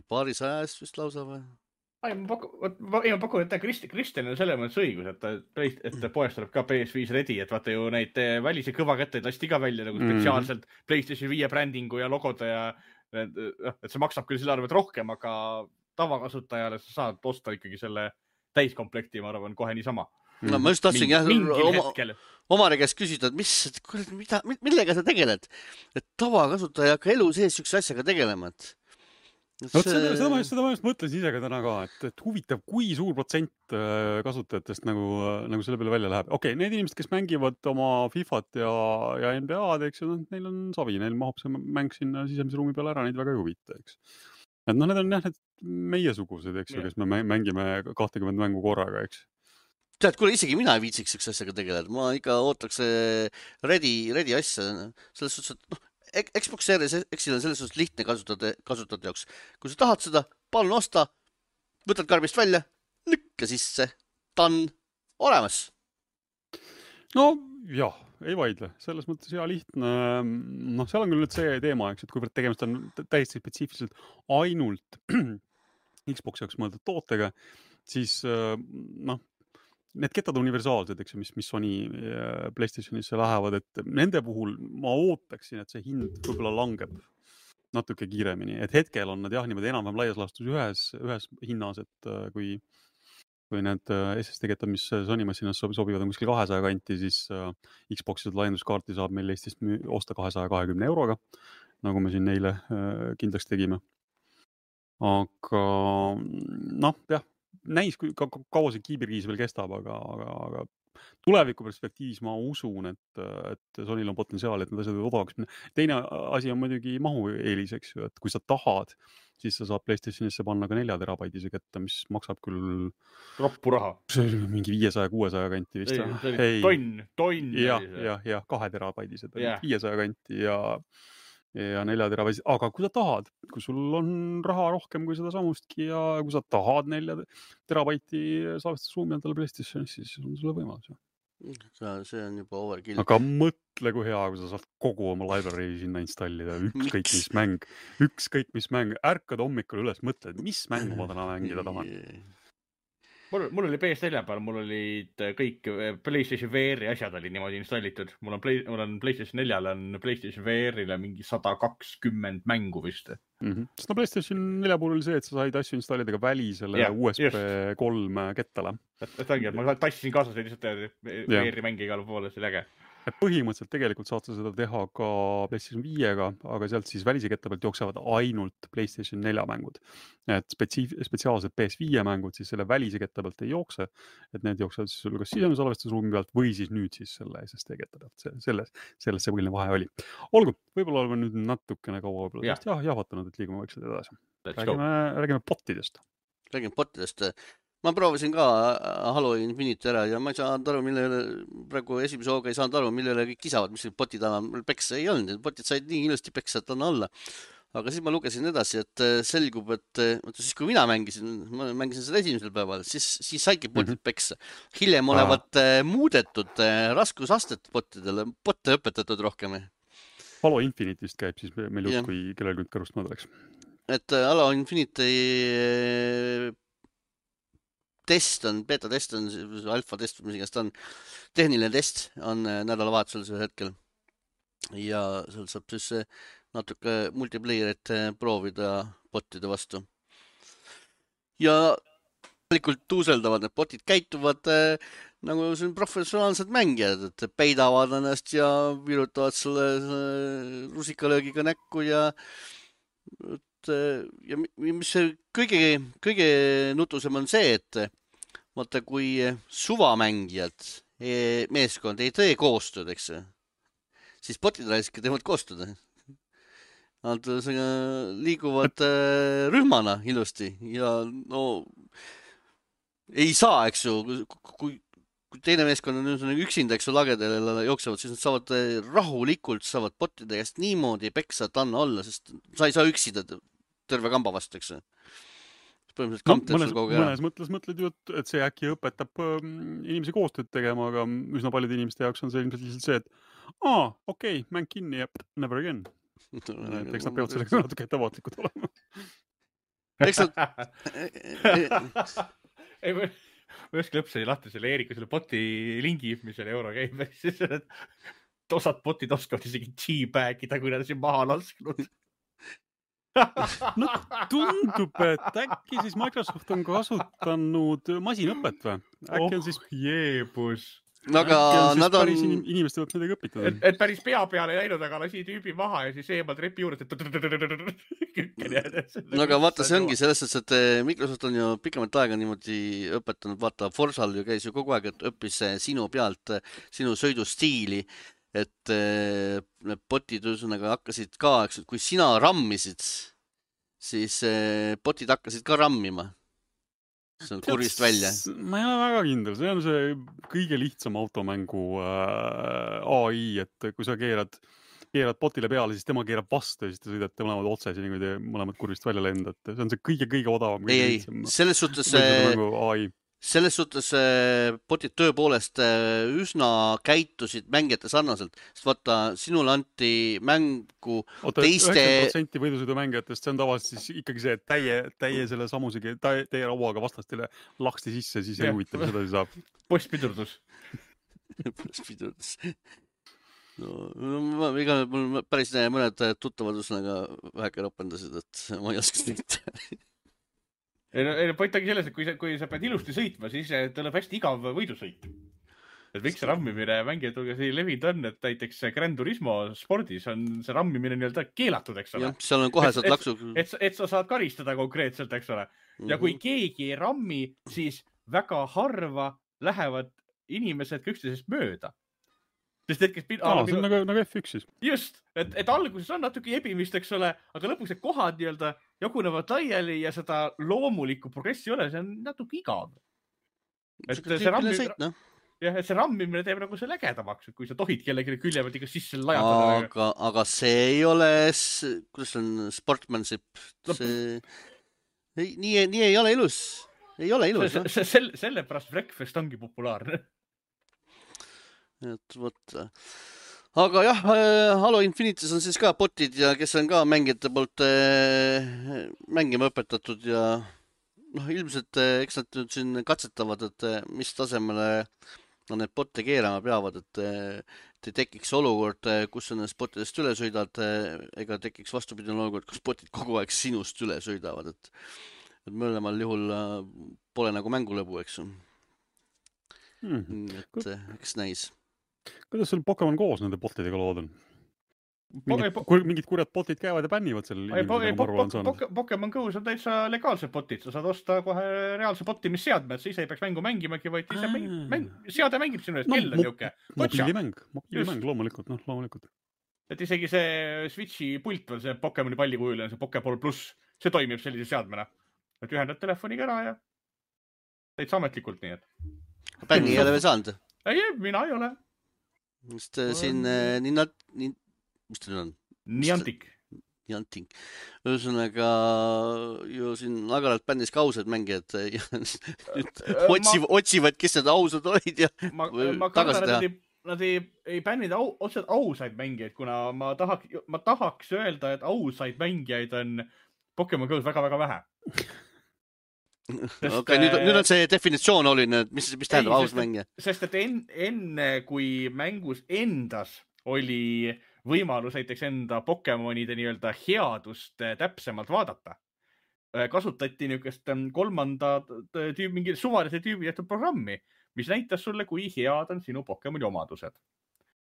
A: paarisaja eest vist lausa või?
C: Ma pakun, et Kristjan on selles mõttes õigus, et poest tuleb ka PS5 ready, et vaata ju neid välise kõvakätteid lasti ka välja nagu spetsiaalselt PlayStation 5 brändingu ja logode ja et see maksab küll selle arvet rohkem, aga tavakasutajale sa saad osta ikkagi selle täiskomplekti, ma arvan, kohe niisama.
A: No ma just tahtsin omare käest küsida, et millega sa tegeled? Et tavakasutaja ei hakka elu sees üks asjaga tegelema, et
B: seda ma just mõtlesin ise ka täna ka, et huvitav, kui suur protsent kasutajatest nagu selle peale välja läheb. Okei, need inimesed, kes mängivad oma FIFA-t ja NBA-d, eks ju, neil on savi, neil mahub see mäng sinna sisemise ruumi peale ära, neid väga ei huvita, eks. Et need on jah, need meiesugused, eks ju, kes me mängime 20 mängu korraga, eks.
A: Tead, kuule, isegi mina ei viitsiks üks asjaga tegeleda. Ma ikka ootaks ready asja. Selles suhtes, et Xbox Series X-il on selles suhtes lihtne kasutada jaoks. Kui sa tahad seda, palun osta, võtad karbist välja, lükka sisse, ta on olemas.
B: No jah, ei vaidle. Selles mõttes hea lihtne. Seal on küll nüüd see teema, eks, et kuivõrd tegemist on täiesti spetsiifiliselt ainult Xbox jaoks mõeldud tootega, siis need kettad universaalsed, eks ju, mis Sony PlayStationisse lähevad, et nende puhul ma ootaksin, et see hind võib-olla langeb natuke kiiremini. Et hetkel on nad jah, niimoodi enam-vähem laias laastus ühes hinnas, et kui need SSD kettad, mis Sony massinas sobivad on kuskil 200 kanti, siis Xbox'i laienduskaarti saab meil Eestist osta 220 euroga, nagu me siin neile kindlaks tegime. Aga jah, näis, kaua see kiibirkiis veel kestab, aga tuleviku perspektiivis ma usun, et Sonyl on potentsiaal, et need asjad odavaks minna. Teine asi on muidugi mahu eelis, eks ju, et kui sa tahad, siis sa saad PlayStationisse panna ka 4 terabaidise ketta, mis maksab küll
C: roppu raha.
B: See oli mingi 500-600 kanti vist.
C: Tonn.
B: Ja 2 terabaidised 500 kanti ja 4 terabaidised. Aga kui sa tahad, kui sul on raha rohkem kui seda samustki ja kui sa tahad 4 terabaiti salvestusruumi endale PlayStationis, siis on sulle võimalus.
A: see on juba overkill.
B: Aga mõtle, kui hea, kui sa saad kogu oma library sinna installida, ükskõik mis mäng, ärkad hommikul üles, mõtled, mis mängu ma täna mängida tahan.
C: Mul oli PS4 peal, mul olid kõik PlayStation VR-i asjad oli niimoodi installitud. Mul on PlayStation 4-l on PlayStation VR-ile mingi 120 mängu vist.
B: Sest PlayStation 4 puhul oli see, et sa said asju installida ka välisele USB 3 kettale.
C: Et ongi, et ma tassisin kaasas lihtsalt VR-i mängi igal poole, see oli äge.
B: Et põhimõtteliselt tegelikult saad sa seda teha ka PlayStation 5-ga, aga sealt siis välise ketta pealt jooksevad ainult PlayStation 4 mängud. Et spetsiaalsed PS5 mängud siis selle välise ketta pealt ei jookse, et need jooksevad siis sul kas sisemise salvestusruumi pealt või siis nüüd siis selle SSD ketta pealt. Selles see põhiline vahe oli. Olgu, võib-olla oleme nüüd natukene kaua jahvatanud, et liigume vaikselt edasi. Räägime botidest.
A: Räägime botidest. Ma proovisin ka Halo Infinite ära ja ma ei saanud aru, praegu esimese hooga ei saanud aru, millele kõik kisavad, mis botid annab peksa ei olnud. Botid said nii ilusti peksa, et anna alla. Aga siis ma lugesin edasi, et selgub, et siis kui mina mängisin seda esimesel päeval, siis saidki botid peksa. Hiljem olevat muudetud raskusastet botidele, botte õpetatud rohkem.
B: Halo Infinite'ist käib siis meil jutt, kui kellel nüüd kõrust mööda läks.
A: Et Halo Infinite beta test on, alfa test, mis igast on, tehniline test on nädalavahetusel sel hetkel. Ja seal saab siis natuke multiplayerit proovida botide vastu. Ja tegelikult tuuseldavad need botid, käituvad nagu see on professionaalsed mängijad, et peidavad ennast ja virutavad selle rusikalöögiga näkku ja mis kõige nutusem on see, et vaata, kui suvamängijad, meeskond ei tee koostööd, eks, siis botid raiski teevad koostööd. Nad liiguvad rühmana ilusti ja no ei saa, eks ju, kui teine meeskond on üksinda, eks ju, lagedele jooksevad, siis nad saavad rahulikult, saavad botide käest niimoodi peksa, et anna olla, sest sa ei saa üksida terve kamba vastu, eks.
B: Mõnes mõttes mõtled ju, et see äkki õpetab inimesi koostööd tegema, aga üsna paljude inimeste jaoks on see ilmselt lihtsalt see, et okei, mäng kinni ja never again. Eks nad peavad sellega natuke ettevaatlikud olema.
A: Eks nad...
C: Ma õskel lõpseni lahti selle Eerika selle boti lingi, mis selle euro käib. Siis osad botid oskavad isegi G-bagida, kui nad siin maha lasknud.
B: No tundub, et äkki siis Microsoft on kasutanud masinõpet või? Äkki on siis
C: jeebus.
A: Aga nad on...
B: Inimeste võiks midagi õpitada.
C: Et päris pea peale ei läinud, aga lasi tüübi maha ja siis eemalt repi juurde.
A: Aga vaata, see ongi selles, et Microsoft on ju pikemat aega niimoodi õpetanud. Vaata, Forsal ju käis ju kogu aeg, et õppis sinu pealt, sinu sõidustiili. Et need botid ühesõnaga hakkasid ka, eks, kui sina rammisid, siis botid hakkasid ka rammima. See on kurvist välja.
B: Ma ei ole väga kindel, see on see kõige lihtsam automängu AI, et kui sa keerad botile peale, siis tema keerab vastu ja siis te sõidate mõlemad otse, nii kui te mõlemad kurvist välja lendate. See on see kõige odavam.
A: Ei, selles suhtes botid tõepoolest üsna käitusid mängijate sarnaselt, sest vaata, sinul anti mängu teiste...
B: 90% võidusõidu mängijatest, see on tavaliselt siis ikkagi see, et täie selle samusegi, teie rauaga vastastele laksti sisse, siis ei huvita, mis edasi saab.
C: Postpidurdus.
A: Postpidurdus. No, mul päris mõned tuttavad üsnaga väheke ropendasid, et ma ei oska seda.
C: Point ongi selles, et kui sa pead ilusti sõitma, siis tuleb hästi igav võidusõit. Et miks see rammimine mängijad hulgas ei levinud on, et näiteks Gran Turismo spordis on see rammimine nii-öelda keelatud, eks ole.
A: Jah, seal on koheselt laksu.
C: Et sa saad karistada konkreetselt, eks ole. Ja kui keegi ei rammi, siis väga harva lähevad inimesed üksteisest mööda. Sest see
B: on nagu F1 siis.
C: Just, et alguses on natuke jebimist, eks ole, aga lõpuks need kohad nii-öelda jagunevad laiali ja seda loomulikku progressi ei ole, see on natuke igav. Et see rammimine teeb nagu see lägedamaks, kui sa tohid kellegi külje pealt ikka sisse lajatada.
A: Aga see ei ole, kuidas on sportmanship? Nii ei ole ilus. Ei ole ilus.
C: Sellepärast Wreckfest ongi populaarne.
A: et vot. Aga jah, Halo Infinitis on siis ka botid ja kes on ka mängijate poolt mängima õpetatud ja noh, ilmselt eks nad nüüd siin katsetavad, et mis tasemele nad need botte keerama peavad, et tekiks olukord, kus sa nendest bottidest üle sõidad, ega tekiks vastupidine olukord, kus botid kogu aeg sinust üle sõidavad, et mõlemal juhul pole nagu mängulõbu, eks ju. Et eks näis.
B: Kuidas sul Pokemon koos nende botidega lood on? Mingid kurjad botid käivad ja bännivad seal inimesega, ma arvan, on saanud.
C: Pokemon Go's on täitsa legaalsed botid, sa saad osta kohe reaalse botimisseadme, et sa ise ei peaks mängu mängimagi, vaid ise seade mängib sinu eest, kell on niuke.
B: Mobiilimäng, loomulikult.
C: Et isegi see Switchi pult veel, see Pokemoni pallikujuline, see Pokeball Plus, see toimib sellise seadmena. Et ühendad telefoniga ära ja täitsa ametlikult nii, et.
A: Bänni ei ole veel saanud?
C: Ei, mina ei ole.
A: Just siin mis ta nüüd on?
C: Niantic.
A: Ühesõnaga ju siin agaralt bändis ka ausad mängijad ja otsivad, kes need ausad olid ja tagasi teha.
C: Nad ei bänninud otseselt ausaid mängijaid, kuna ma tahaks öelda, et ausaid mängijaid on Pokemon Go's väga-väga vähe.
A: Okay, nüüd on see definitsioon oluline, et mis tähendab aus mängija?
C: Sest et enne kui mängus endas oli võimalus näiteks enda Pokemonide nii-öelda headust täpsemalt vaadata, kasutati niisugust kolmanda mingi suvalise tüübi tehtud programmi, mis näitas sulle, kui head on sinu Pokemoni omadused.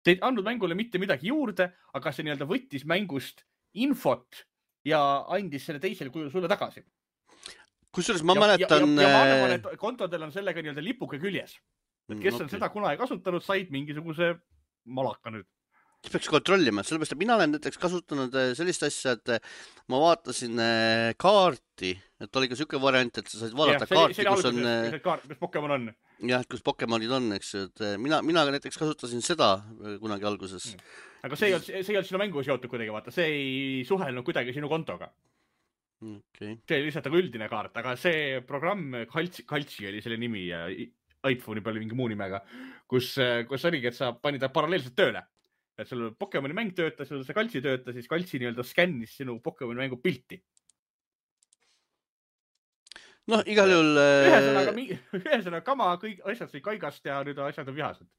C: See ei andnud mängule mitte midagi juurde, aga see nii-öelda võttis mängust infot ja andis selle teisel kujul sulle tagasi.
A: Kusjuures ma mäletan...
C: Ja ma arvan, et kontodel on sellega nii-öelda lipuke küljes. Et kes on seda kunagi kasutanud, said mingisuguse malaka nüüd.
A: Peaks kontrollima, sellepärast, et mina olen näiteks kasutanud sellist asja, et ma vaatasin kaarti, et oli ka selline variant, et sa said vaadata kaarti, kus on...
C: kus Pokemon on.
A: Jah, kus Pokemonid on, eks. Mina näiteks kasutasin seda kunagi alguses.
C: Aga see ei olnud sinu mängu seotud kuidagi, vaata. See ei suhelnud kuidagi sinu kontoga.
A: Okay.
C: See oli lihtsalt üldine kaart, aga see programm, Kaltsi oli selle nimi ja iPhone'i peal mingi muu nimega, kus oligi, et sa panid paralleelselt tööle. Et sul Pokemoni mäng töötas, sul see Kaltsi töötas, siis Kaltsi nii-öelda skännis sinu Pokemoni mängu pilti.
A: No, igal juhul...
C: Ühesõnaga kama, kõik asjad sai kaigast ja nüüd asjad on vihased.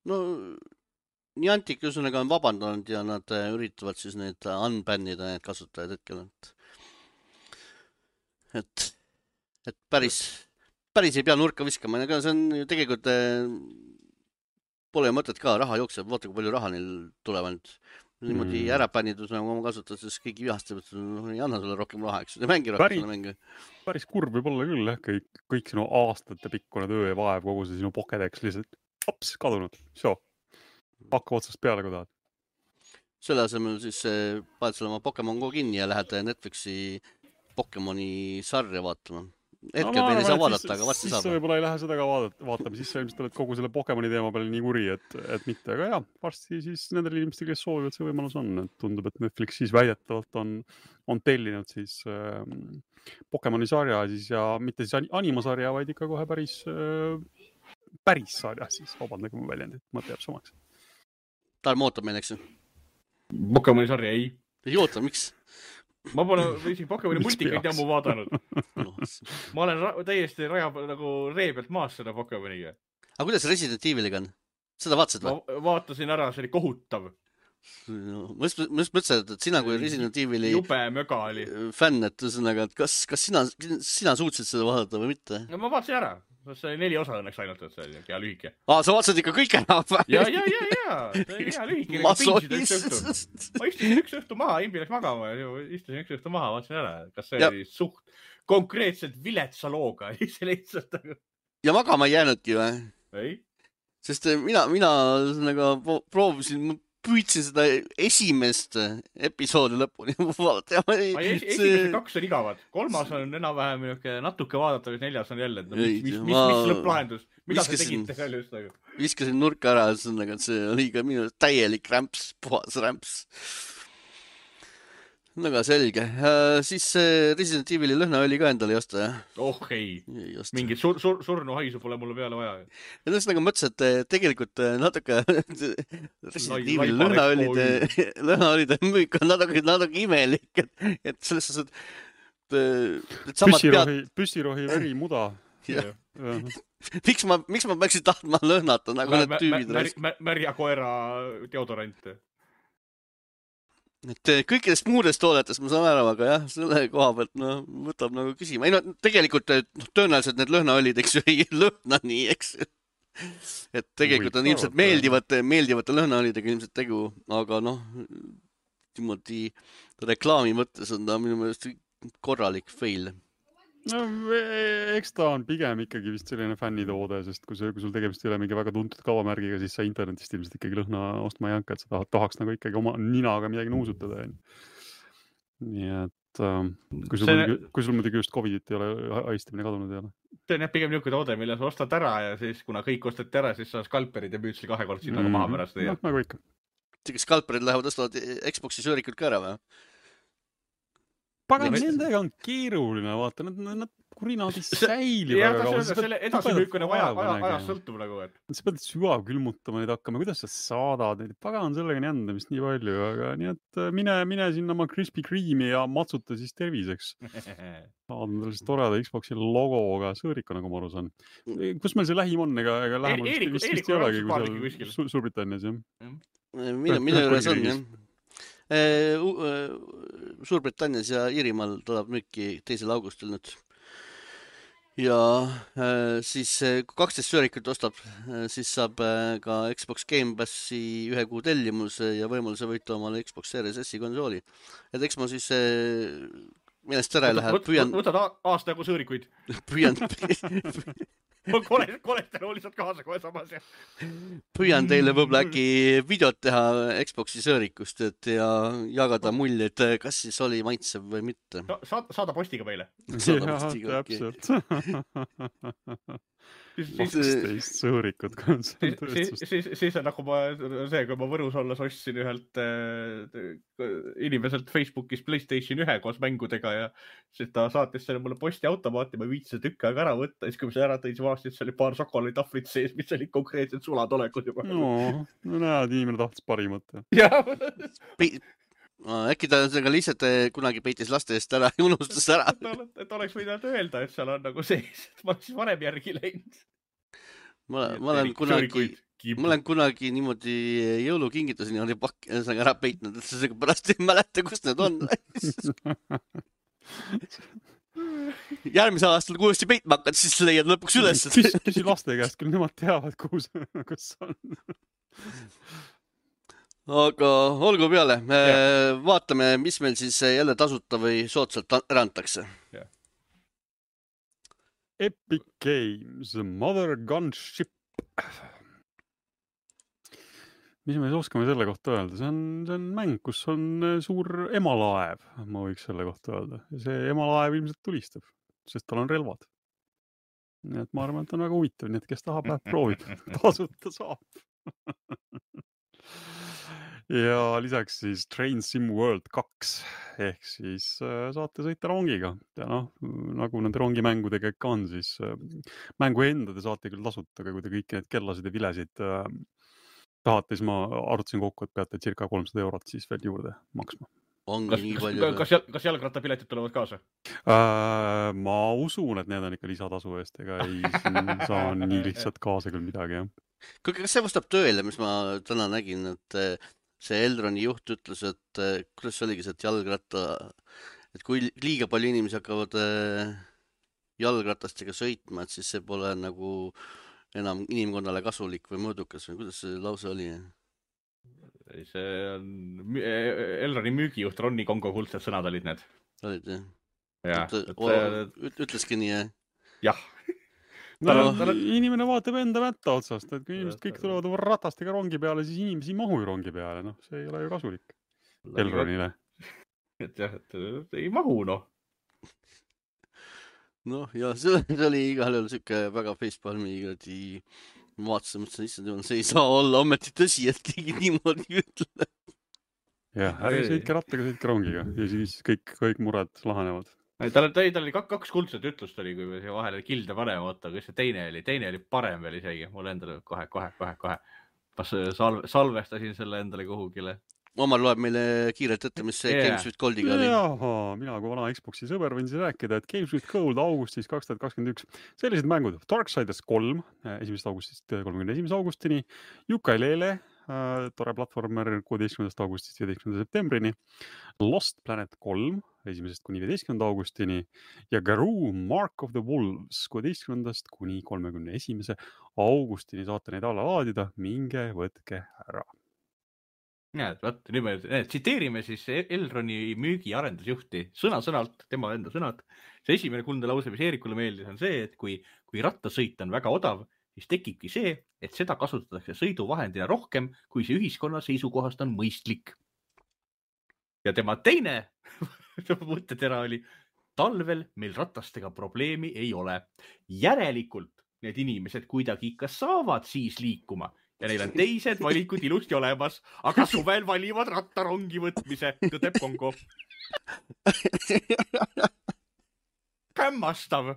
A: No, Niantic ühesõnaga on vabandanud ja nad üritavad siis need unbannida need kasutajad hetkel, et päris ei pea nurka viskama, aga see on ju tegelikult pole mõtet ka, raha jookseb, vaata kui palju raha neil tulevad. Niimoodi ära pännidus, nagu ma kasutad, siis kõigi vihastab, et ei anna sulle rohkem raha, eks, ja mängi rohkem selle mängi.
B: Päris kurb võib olla küll, kõik sinu aastate pikkune töö ja vaev, kogu see sinu Pokédex lihtsalt hops, kadunud, hakka otsast peale, kui tahad.
A: Selle asemel siis paned selle oma Pokemon Go kinni ja lähed Netflixi Pokemoni sarja vaatama. Hetkel meil ei saa vaadata, aga varsti saab.
B: Siis võib-olla ei lähe seda ka vaatama, siis sa ilmselt oled kogu selle Pokemoni teema peale nii kuri, et mitte. Aga jah, varsti siis nendel inimestel, kes soovivad, see võimalus on. Et tundub, et Netflix siis väidetavalt on tellinud siis Pokemoni sarja siis ja mitte siis animasarja, vaid ikka kohe päris sarja siis. Vabandage mu väljendit, mõte jääb samaks.
A: Tarmo ootab meil, eks ju?
C: Pokemoni sarja ei.
A: Ei oota, miks?
C: Ma pole isegi Pokemoni multikaid jammu vaadanud. Ma olen täiesti nagu ree pealt maas seda Pokemoniga.
A: Aga kuidas Resident Eviliga on? Seda vaatasid või?
C: Ma vaatasin ära, see oli kohutav.
A: Ma mõtlesin, et sina kui Resident Evili
C: jube möga oli
A: fänn, et ühesõnaga, et kas sina suutsid seda vaadata või mitte?
C: No ma vaatasin ära. See oli 4 osa õnneks ainult, et see oli hea lühike.
A: Sa vaatasid ikka kõik ära?
C: Ja. See oli hea lühike. Ma istusin üks õhtu maha, Imbi läks magama ja istusin üks õhtu maha, vaatasin ära. Kas see oli suht konkreetselt viletsa looga?
A: Ja magama ei jäänudki või?
C: Ei.
A: Sest mina proovisin, püüdsin seda esimest episoodi lõpuni vaadata.
C: Esimese 2 on igavad. 3 on enam-vähem natuke vaadata, 4 on jälle. Mis lõpplahendus? Mida sa tegite seal just?
A: Viskasin nurka ära, et see oli ka minu täielik rämps, puhas rämps. väga selge. Siis Resident Evil'i lõhnaõli ka endale ei osta, jah?
C: Oh ei,
A: Ei osta.
C: mingit surnuhaisu pole mulle peale vaja.
A: Ja ühesõnaga mõtlesin, et tegelikult natuke Resident Evil'i lõhnaõlide müük on natuke imelik, et selles suhtes, et samad
B: püssirohi verimuda.
A: Jah. Miks ma peaksin tahtma lõhnata nagu need tüübid?
C: Märja koera deodorant.
A: Et kõikidest muudest toodetest ma saan aru, aga jah, selle koha pealt võtab nagu küsima. Ei no tegelikult tõenäoliselt need lõhnaõlid, eks ju, ei lõhna nii, eks. Et tegelikult on ilmselt meeldivate lõhnaõlidega ilmselt tegu, aga niimoodi reklaami mõttes on ta minu meelest korralik fail.
B: No eks ta on pigem ikkagi vist selline fännitoode, sest kui sul tegemist ei ole mingi väga tuntud kaubamärgiga, siis sa internetist ilmselt ikkagi lõhna ostma ei hakka, et sa tahaks nagu ikkagi oma ninaga midagi nuusutada. Nii et kui sul muidugi just Covidit ei ole, haistamine kadunud ei ole.
C: See on jah pigem niisugune toode, mille sa ostad ära ja siis kuna kõik ostad ära, siis sa skalperid ja müüd selle 2 korda sinna maha pärast.
B: Nagu ikka.
A: Skalperid lähevad ostavad Xbox'i söörikud ka ära või?
B: Pagan, nendega on keeruline, vaata, nad kurinad ei säili väga kaua.
C: Selle edasimüük on ajas sõltub nagu, et.
B: Sa pead sügav külmutama neid hakkama, kuidas sa saadad neid, pagan sellega jändamist nii palju, aga nii et mine sinna oma Krispy Kreme'i ja matsuta siis terviseks. Saad sellist toreda Xbox'i logoga sõõrika, nagu ma aru saan. Kus meil see lähim on, ega lähemalt vist ei olegi, kui seal Suurbritannias, jah?
A: Minu juures on, jah. Suurbritannias ja Iirimaal tuleb müüki 2. augustil nüüd. Ja siis kui 12 söörikut ostab, siis saab ka Xbox Game Passi 1 kuu tellimuse ja võimaluse võita omale Xbox Series S-i konsooli. Et eks ma siis millest ära ei lähe.
C: Võtad aasta jagu sõõrikuid. Kolesteroli saad kaasa kohe samas.
A: Püüan teile võib-olla äkki videot teha Xbox'i sõõrikust ja jagada mulje, et kas siis oli maitsev või mitte.
C: Saada postiga meile.
B: Jah, täpselt. 12 sõõrikut.
C: Siis on nagu kui ma Võrus olles ostsin ühelt inimeselt Facebookis PlayStation 1 koos mängudega ja siis ta saatis selle mulle postiautomaati, ma viitsin tükk aega ära võtta, siis kui ma see ära tõin, siis vaatasin, et see oli paar šokolaaditahvlit sees, mis olid konkreetsed sulatolekud juba.
B: No näed, inimene tahtis parimat.
A: Äkki ta lihtsalt kunagi peitis laste eest ära ja unustas ära.
C: Et oleks võinud öelda, et seal on nagu sees, et ma siis varem järgi läinud.
A: Ma olen kunagi niimoodi jõulukingituseni ära peitnud, et see pärast ei mäleta, kus need on. Järgmise aastal, kui uuesti peitma hakkad, siis leiad lõpuks üles.
B: Küsi laste käest, küll nemad teavad, kus on.
A: Aga olgu peale. Vaatame, mis meil siis jälle tasuta või soodsalt ära antakse.
B: Epic Games, Mother Gunship. Mis me oskame selle kohta öelda? See on mäng, kus on suur emalaev, ma võiks selle kohta öelda. Ja see emalaev ilmselt tulistab, sest tal on relvad. Nii et ma arvan, et on väga huvitav, nii et kes tahab, läheb proovib. Tasuta saab. Ja lisaks siis Train Sim World 2 ehk siis saate sõita rongiga ja nagu nende rongimängudega ikka on, siis mängu enda te saate küll tasuta, aga kui te kõiki need kellasid ja vilesid tahate, siis ma arvutasin kokku, et peate circa 300 € siis veel juurde maksma.
C: Kas jalgrattapiletid tulevad kaasa?
B: Ma usun, et need on ikka lisatasu eest, ega ei saa nii lihtsalt kaasa küll midagi, jah.
A: Kas see vastab tööle, mis ma täna nägin, et see Elroni juht ütles, et kuidas see oligi, et jalgratta, et kui liiga palju inimesi hakkavad jalgratastega sõitma, et siis see pole nagu enam inimkonnale kasulik või mõõdukas või kuidas see lause oli?
C: See on Elroni müügijuht Ronni Kongo kuldsed sõnad olid need.
A: Olid, jah? Ütleski nii, jah?
C: Jah.
B: Inimene vaatab enda mätta otsast, et kui inimesed kõik tulevad ratastega rongi peale, siis inimesi ei mahu ju rongi peale, see ei ole ju kasulik Elronile.
C: Et jah, et ei mahu,
A: ja see oli igal juhul siuke väga facepalmi ma vaatasin, mõtlesin, issand jumal, see ei saa olla ometi tõsi, et keegi niimoodi ütleb.
B: jah, ärge sõitke rattaga, sõitke rongiga ja siis kõik mured lahenevad.
C: Tal oli kaks kuldset ütlust oli, kui me siia vahele kilde paneme, oota, kus see teine oli parem veel isegi, mul endale kohe. Ma salvestasin selle endale kuhugile.
A: Omar loeb meile kiirelt ette, mis see Games with Goldiga oli.
B: Mina kui vana Xboxi sõber võin siis rääkida, et Games with Gold augustis 2021. Sellised mängud Darksiders 3 1. augustist 31. augustini, Yooka-Laylee, tore platvormer 16. augustist 15. septembrini, Lost Planet 3 1. kuni 15. augustini ja Garou Mark of the Wolves 16. kuni 31. augustini saate neid alla laadida, minge võtke ära.
C: Näed, vaat, nüüd me tsiteerime siis Elroni müügi arendusjuhti sõna-sõnalt, tema enda sõnad. See esimene kuldne lause, mis Eerikule meeldis, on see, et kui rattasõit on väga odav, siis tekibki see, et seda kasutatakse sõiduvahendina rohkem, kui see ühiskonna seisukohast on mõistlik. Ja tema teine mõttetera oli, talvel meil rattastega probleemi ei ole. Järelikult need inimesed kuidagi ikka saavad siis liikuma. Ja neil on teised valikud ilusti olemas, aga suvel valivad rattarongi võtmise, tõdeb Kongo. Hämmastav.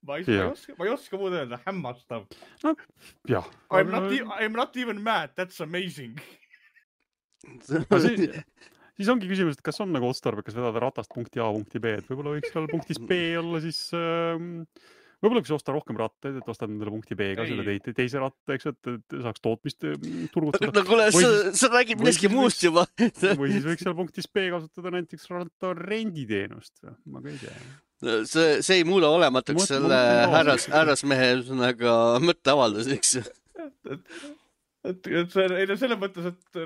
C: Ma ei oska muud öelda, hämmastav.
B: No, jah.
C: I'm not even mad, that's amazing.
B: Siis ongi küsimus, et kas on nagu otstarbekas vedada ratast punkti A punkti B, et võib-olla võiks seal punktis B olla siis... Võib-olla võiks osta rohkem rattaid, et ostad nendele punkti B ka selle teise ratta, eks, et saaks tootmist turgutada.
A: No kuule, sa räägid millestki muust juba.
B: Või siis võiks seal punktis B kasutada näiteks ratta renditeenust. Ma ka ei tea.
A: See ei muuda olematuks selle härrasmehe mõtteavaldus, eks.
C: Selles mõttes, et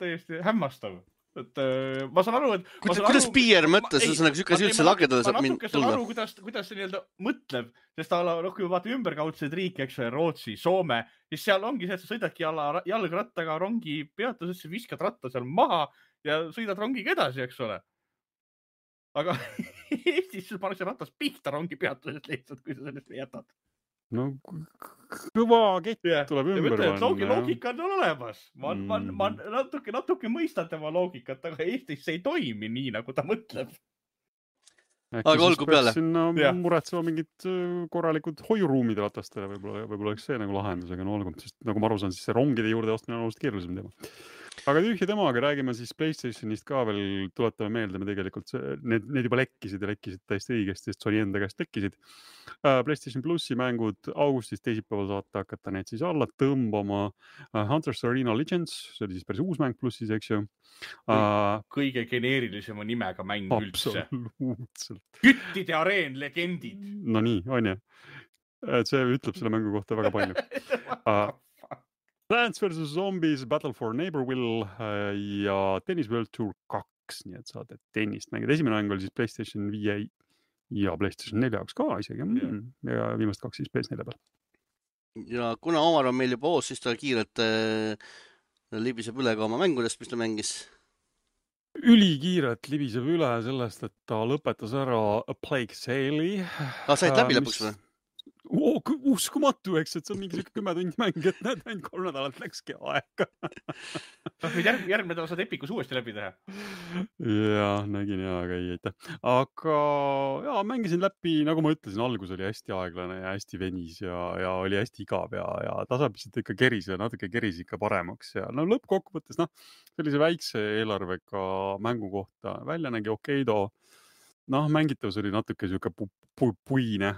C: täiesti hämmastav. Ma saan aru, et...
A: Kuidas Pier mõttes, sükas üldse lagedale saab mind tulla?
C: Ma saan aru, kuidas see nii-öelda mõtleb, sest kui me vaatame ümberkaudseid riike, eks Rootsi, Soome, siis seal ongi see, et sa sõidadki jalgrattaga rongi peatusesse, viskad ratta seal maha ja sõidad rongiga edasi, eks ole. Aga Eestis pannakse ratas pihta rongi peatusest lihtsalt, kui sa sellest jätad.
B: No kõva kett tuleb ümber panna.
C: Loogika on olemas. Ma natuke mõistan tema loogikat, aga Eestis see ei toimi nii, nagu ta mõtleb.
A: Aga olgu peale.
B: Sinna muretsema mingid korralikud hoiuruumid ratastele, võib-olla oleks see nagu lahendus, aga no olgu, sest nagu ma aru saan, siis see rongide juurde ostmine on oluliselt keerulisem teema. Aga tühja temaga räägime siis PlayStationist ka veel, tuletame meelde, me tegelikult need juba lekkisid täiesti õigesti, sest Sony enda käest lekkisid. PlayStation Plussi mängud augustis teisipäeval saate hakata need siis alla tõmbama. Hunters Arena Legends, see oli siis päris uus mäng Plussis, eks ju.
C: Kõige geneerilisema nimega mäng üldse.
B: Absoluutselt.
C: Küttide areen legendid.
B: No nii, on ju. See ütleb selle mängu kohta väga palju. Plants vs. Zombies, Battle for Neighborville ja Tennis World Tour 2, nii et saate tennist mängida. Esimene mäng oli siis PlayStation 5 ja PlayStation 4 jaoks ka isegi. Ja viimast 2 siis PS4 peal.
A: Ja kuna Omar on meil juba oos, siis ta kiirelt libiseb üle ka oma mängudest, mis ta mängis.
B: Ülikiirelt libiseb üle sellest, et ta lõpetas ära A Plague Tale'i.
A: Said läbi lõpuks või?
B: Uskumatu, eks, et see on mingi 10 tundi mäng, et näed, ainult 3 nädalat läkski aega.
C: Järgmine nädal saad Epicus uuesti läbi teha.
B: Ja, nägin aga ei aitäh. Aga mängisin läbi, nagu ma ütlesin, algus oli hästi aeglane ja hästi venis ja oli hästi igav ja tasapisiselt ikka keris ja natuke keris ikka paremaks. Ja no lõppkokkuvõttes, sellise väikse eelarvega mängu kohta välja nägi okeido. Mängitavus oli natuke siuke puine,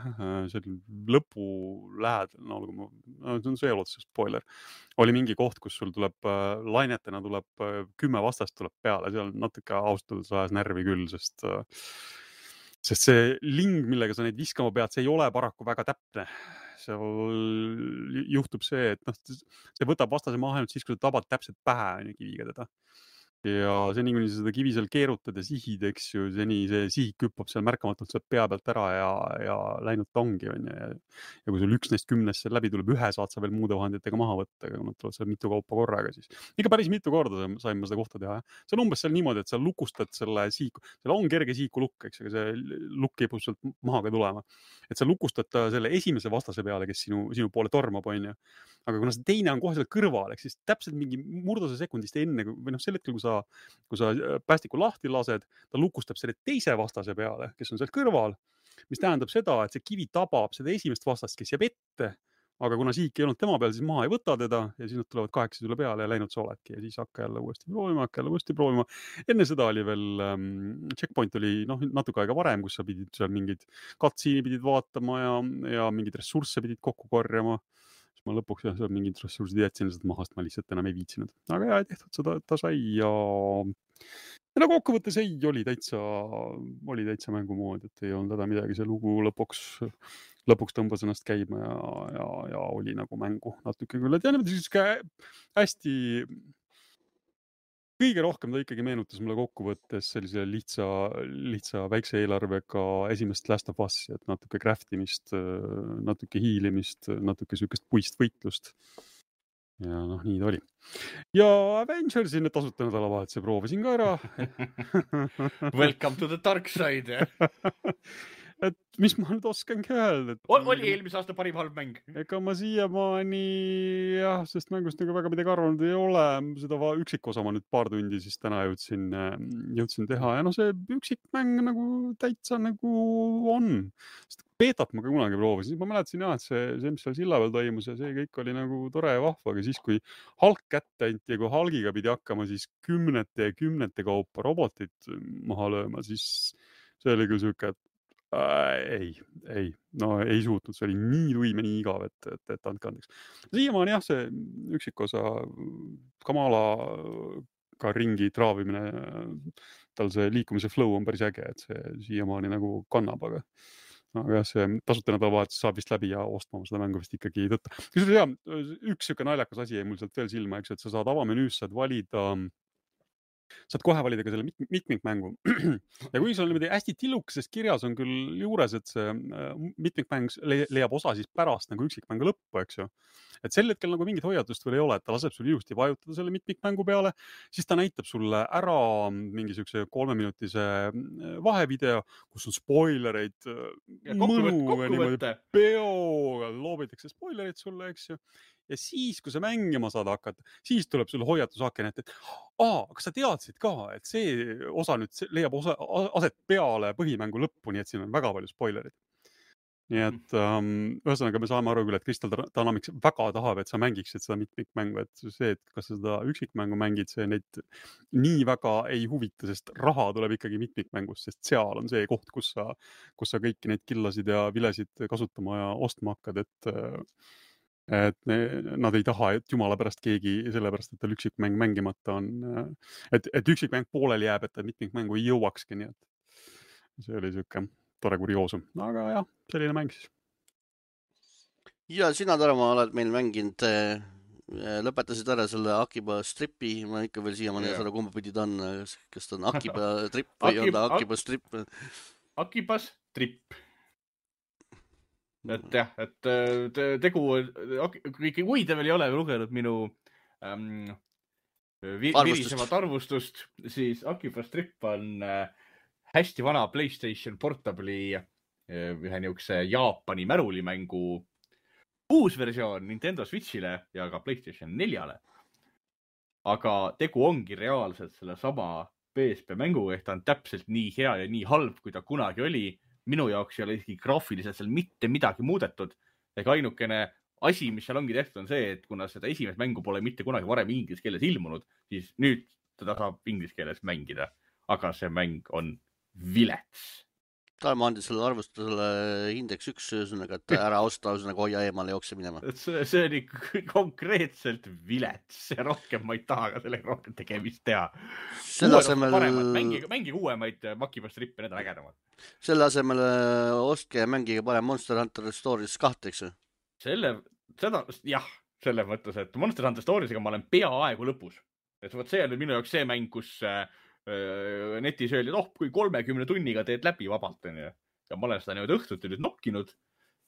B: see oli lõpu lähedal, see on sõjaluotuse spoiler, oli mingi koht, kus sul tuleb lainetena tuleb 10 vastast tuleb peale, seal natuke austada ajas närvi küll, sest see ling, millega sa neid viskama pead, see ei ole paraku väga täpne. Seal juhtub see, et see võtab vastase maha ainult siis, kui sa tabad täpselt pähe kiviga teda. Ja seni, kuni sa seda kivi seal keerutad ja sihid, eks ju, seni see sihik küppab seal märkamatult sealt pea pealt ära ja läinud tongi. Ja kui sul 1 neist 10 seal läbi tuleb, 1 saad sa veel muude vahenditega maha võtta, aga nad tulevad seal mitu kaupa korraga siis. Ikka päris mitu korda sain ma seda kohta teha. See on umbes seal niimoodi, et sa lukustad selle siiku. Seal on kerge siiku lukk, eks, aga see lukk kipub sealt maha ka tulema. Et sa lukustad selle esimese vastase peale, kes sinu poole tormab, on ju. Aga kuna see teine on kohe seal kõrval, eks siis täpselt mingi murduse sekundist enne, või sel hetkel, kui sa kui sa päästiku lahti lased, ta lukustab selle teise vastase peale, kes on seal kõrval, mis tähendab seda, et see kivi tabab seda esimest vastast, kes jääb ette, aga kuna siik ei olnud tema peal, siis maha ei võta teda ja siis nad tulevad 8 tule peale ja läinud sa oledki ja siis hakka jälle uuesti proovima. Enne seda oli veel, checkpoint oli natuke aega varem, kus sa pidid seal mingid katsiini pidid vaatama ja mingid ressursse pidid kokku korjama. Siis ma lõpuks seal mingid ressursid jätsin lihtsalt mahast, ma lihtsalt enam ei viitsinud. Aga jah, tehtud seda, ta sai ja nagu kokkuvõttes oli täitsa mängumood, et ei olnud häda midagi, see lugu lõpuks tõmbas ennast käima ja oli nagu mängu natuke küll. Et ja niimoodi hästi, kõige rohkem ta ikkagi meenutas mulle kokkuvõttes sellise lihtsa väikse eelarvega esimest Last of Us'i, et natuke craftimist, natuke hiilimist, natuke sükest puist võitlust. Ja nii ta oli. Ja Avengersi need tasuta nädalavahetuse proovisin ka ära.
C: Welcome to the dark side.
B: Et mis ma nüüd oskangi öelda?
C: Oli eelmise aasta parim halb mäng?
B: Ega ma siiamaani sest mängust nagu väga midagi arvanud ei ole. Seda üksikosa ma nüüd paar tundi siis täna jõudsin teha. Ja see üksikmäng nagu täitsa nagu on. Sest beetat ma ka kunagi proovisin. Ma mäletasin et see mis seal silla peal toimus ja see kõik oli nagu tore ja vahva. Aga siis kui Hulk kätte anti ja kui Hulgiga pidi hakkama siis kümnete kaupa robotit maha lööma, siis see oli küll siuke, ei suutnud, see oli nii tuim ja nii igav, et andke andeks. Siiamaani see üksikosa Kamalaga ringi traavimine, tal see liikumise flow on päris äge, et see siiamaani nagu kannab, aga see tasuta nädalavahetus saab vist läbi ja ostma seda mängu vist ikkagi ei tõtta. Üks siuke naljakas asi jäi mul sealt veel silma, eks, et sa saad avamenüüs, saad kohe valida ka selle mitmikmängu. Ja kui sul on niimoodi hästi tillukeses kirjas on küll juures, et see mitmikmäng leiab osa siis pärast nagu üksikmängu lõppu, eks ju. Et sel hetkel nagu mingit hoiatust veel ei ole, et ta laseb sul ilusti vajutada selle mitmikmängu peale, siis ta näitab sulle ära mingi siukse 3-minutise vahevideo, kus on spoilereid
C: kokkuvõtte.
B: Peoga loobitakse spoilereid sulle, eks ju. Ja siis, kui sa mängima saad hakata, siis tuleb sulle hoiatusaken, et kas sa teadsid ka, et see osa nüüd leiab aset peale põhimängu lõppu, nii et siin on väga palju spoilerid. Nii et ühesõnaga me saame aru küll, et Crystal Dynamics väga tahab, et sa mängiksid seda mitmikmängu, et see, et kas sa seda üksikmängu mängid, see neid nii väga ei huvita, sest raha tuleb ikkagi mitmikmängust, sest seal on see koht, kus sa kõiki neid killasid ja vilesid kasutama ja ostma hakkad, et nad ei taha, et jumala pärast keegi sellepärast, et tal üksikmäng mängimata on, et üksikmäng pooleli jääb, et ta mitmikmängu ei jõuakski, nii et see oli siuke tore kurioosum, aga jah, selline mäng siis.
A: Ja sina, Tarmo, oled meil mänginud, lõpetasid ära selle Akiba Stripi, ma ikka veel siiamaani seda kumba pidi ta on, kas ta on Akiba Trip või on ta Akiba Strip?
C: Akiba Strip. Et jah, et tegu, kui te veel ei ole lugenud minu virisevat arvustust, siis Akiba Strip on hästi vana PlayStation Portable'i ühe niukse Jaapani märulimängu uus versioon Nintendo Switchile ja ka PlayStation 4-le. Aga tegu ongi reaalselt selle sama PSP mänguga, ehk ta on täpselt nii hea ja nii halb, kui ta kunagi oli. Minu jaoks ei ole isegi graafiliselt seal mitte midagi muudetud. Ega ainukene asi, mis seal ongi tehtud, on see, et kuna seda esimest mängu pole mitte kunagi varem inglise keeles ilmunud, siis nüüd teda saab inglise keeles mängida. Aga see mäng on vilets.
A: Tarmo andis selle arvustusele indeks 1, ühesõnaga, et ära osta, ühesõnaga hoia eemale jookse minema.
C: See oli konkreetselt vilets ja rohkem ma ei taha ka sellega rohkem tegemist teha. Mängige uuemaid Akiba Strippe, need on ägedamad.
A: Selle asemel ostke ja mängige parem Monster Hunter Stories 2, eks ju?
C: Selles mõttes, et Monster Hunter Stories'ga ma olen peaaegu lõpus. Et see on minu jaoks see mäng, kus netis öeldi, et kui 30 tunniga teed läbi vabalt. Ja ma olen seda nüüd õhtut nüüd nokkinud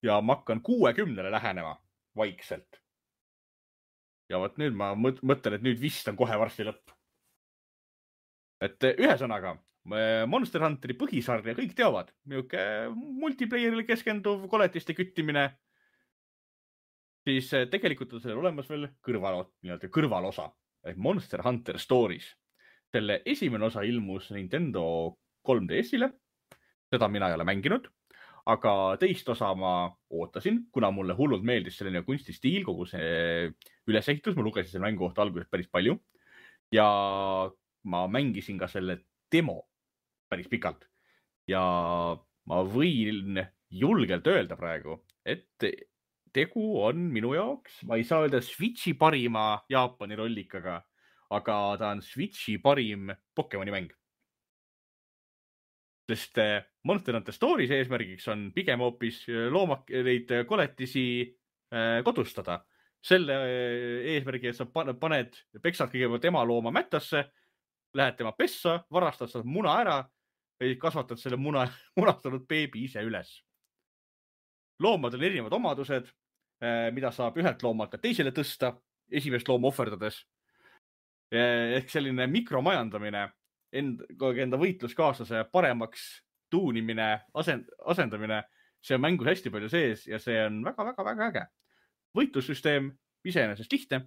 C: ja ma hakkan 60-le lähenema vaikselt. Ja võt nüüd ma mõtlen, et nüüd vist on kohe varsti lõpp. Et ühesõnaga, Monster Hunteri põhisarja kõik teavad. Niuke multiplayerile keskenduv koletiste küttimine. Siis tegelikult on sellel olemas veel kõrvalosa. Monster Hunter Stories. selle esimene osa ilmus Nintendo 3DS-ile. Seda mina ei ole mänginud, aga teist osa ma ootasin, kuna mulle hullult meeldis selline kunstistiil, kogu see ülesehitus. Ma lugesin selle mängu kohta alguses päris palju ja ma mängisin ka selle demo päris pikalt. Ja ma võin julgelt öelda praegu, et tegu on minu jaoks, ma ei saa öelda Switchi parima Jaapani rollikaga, aga ta on Switchi parim Pokemoni mäng. Sest Monster Hunter Stories eesmärgiks on pigem hoopis neid koletisi kodustada. Selle eesmärgi, et sa peksad kõigepealt ema looma mättasse, lähed tema pessa, varastad seda muna ära ja kasvatad selle munastanud beebi ise üles. Loomadel on erinevad omadused, mida saab ühelt loomalt teisele tõsta, esimest looma ohverdades. Ehk selline mikromajandamine, enda võitluskaaslase paremaks tuunimine, asendamine, see on mängus hästi palju sees ja see on väga-väga-väga äge. Võitlussüsteem iseenesest lihtne.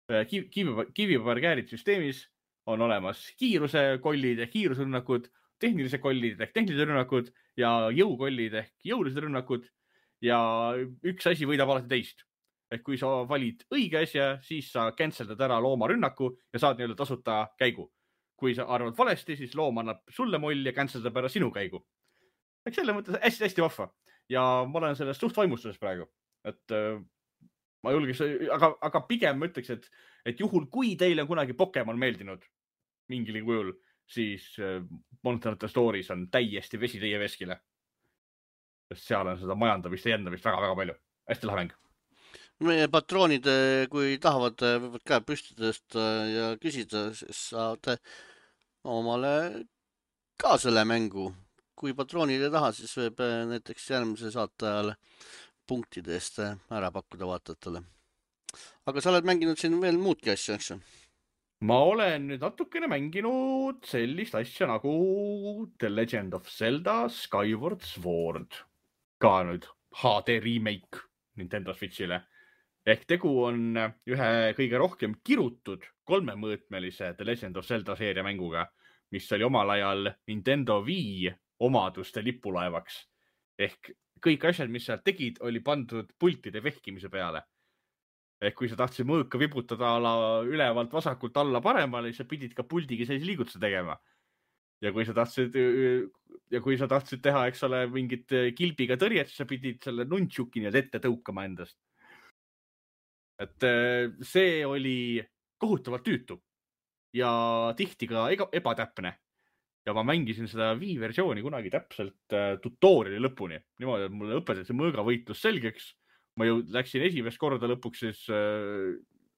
C: Kivipaberkäärid süsteemis on olemas kiiruse kollid ehk kiirusrünnakud, tehnilised kollid ehk tehnilised rünnakud ja jõukollid ehk jõulised rünnakud ja üks asi võidab alati teist. Ehk kui sa valid õige asja, siis sa canceldad ära looma rünnaku ja saad nii-öelda tasuta käigu. Kui sa arvad valesti, siis loom annab sulle molli ja canceldab ära sinu käigu. Ehk selle mõttes hästi vahva. Ja ma olen sellest suht vaimustuses praegu. Et ma julgeks, aga pigem ma ütleks, et juhul kui teile on kunagi Pokemon meeldinud mingil kujul, siis Monster Hunter Stories on täiesti vesi teie veskile. Sest seal on seda majandamist ja jändamist väga-väga palju. Hästi lahe mäng.
A: Meie patroonid, kui tahavad, võivad käe püstidest ja küsida, siis saad omale ka selle mängu. Kui patroonid ei taha, siis võib näiteks järgmise saate ajal punktidest ära pakkuda vaatajatele. Aga sa oled mänginud siin veel muudki asja, eks?
C: Ma olen nüüd natukene mänginud sellist asja nagu The Legend of Zelda Skyward Sword. Ka nüüd HD remake Nintendo Switchile. Ehk tegu on ühe kõige rohkem kirutud 3-mõõtmelise The Legend of Zelda seeria mänguga, mis oli omal ajal Nintendo Wii omaduste lipulaevaks. Ehk kõik asjad, mis seal tegid, oli pandud pultide vehkimise peale. Ehk kui sa tahtsid mõõka vibutada ülevalt vasakult alla paremale, siis sa pidid ka puldiga sellise liigutuse tegema. Ja kui sa tahtsid teha, eks ole, mingit kilbiga tõrjet, siis sa pidid selle nunchuki nii ette tõukama endast. Et see oli kohutavalt tüütu ja tihti ka ebatäpne. Ja ma mängisin seda Wii versiooni kunagi täpselt tutoriali lõpuni. Niimoodi, et mulle õpetati mõõgavõitlus selgeks. Ma ju läksin esimest korda lõpuks siis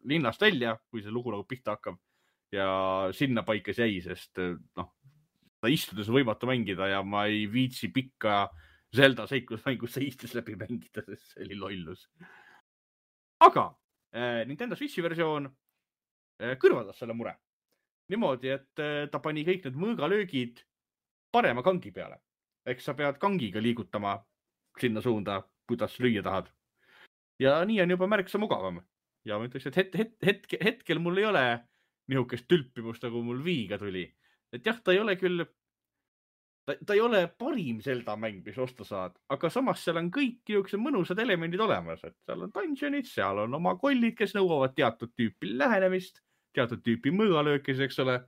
C: linnast välja, kui see lugu nagu pihta hakkab. Ja sinna paikas jäi, sest ta istudes võimatu mängida ja ma ei viitsi pikka Zelda seiklusmängus istes läbi mängida, sest see oli lollus. Aga Nintendo Switchi versioon kõrvaldas selle mure. Niimoodi, et ta pani kõik need mõõgalöögid parema kangi peale. Eks sa pead kangiga liigutama sinna suunda, kuidas lüüa tahad. Ja nii on juba märksa mugavam. Ja ma ütleks, et hetkel mul ei ole nihukest tülpimust, nagu mul Viiga tuli. Et jah, ta ei ole küll, ta ei ole parim Zelda mäng, mis osta saad, aga samas seal on kõik nihukesed mõnusad elemendid olemas. Et seal on dungeonid, seal on oma kollid, kes nõuavad teatud tüüpi lähenemist, teatud tüüpi mõõgalöökis, eks ole.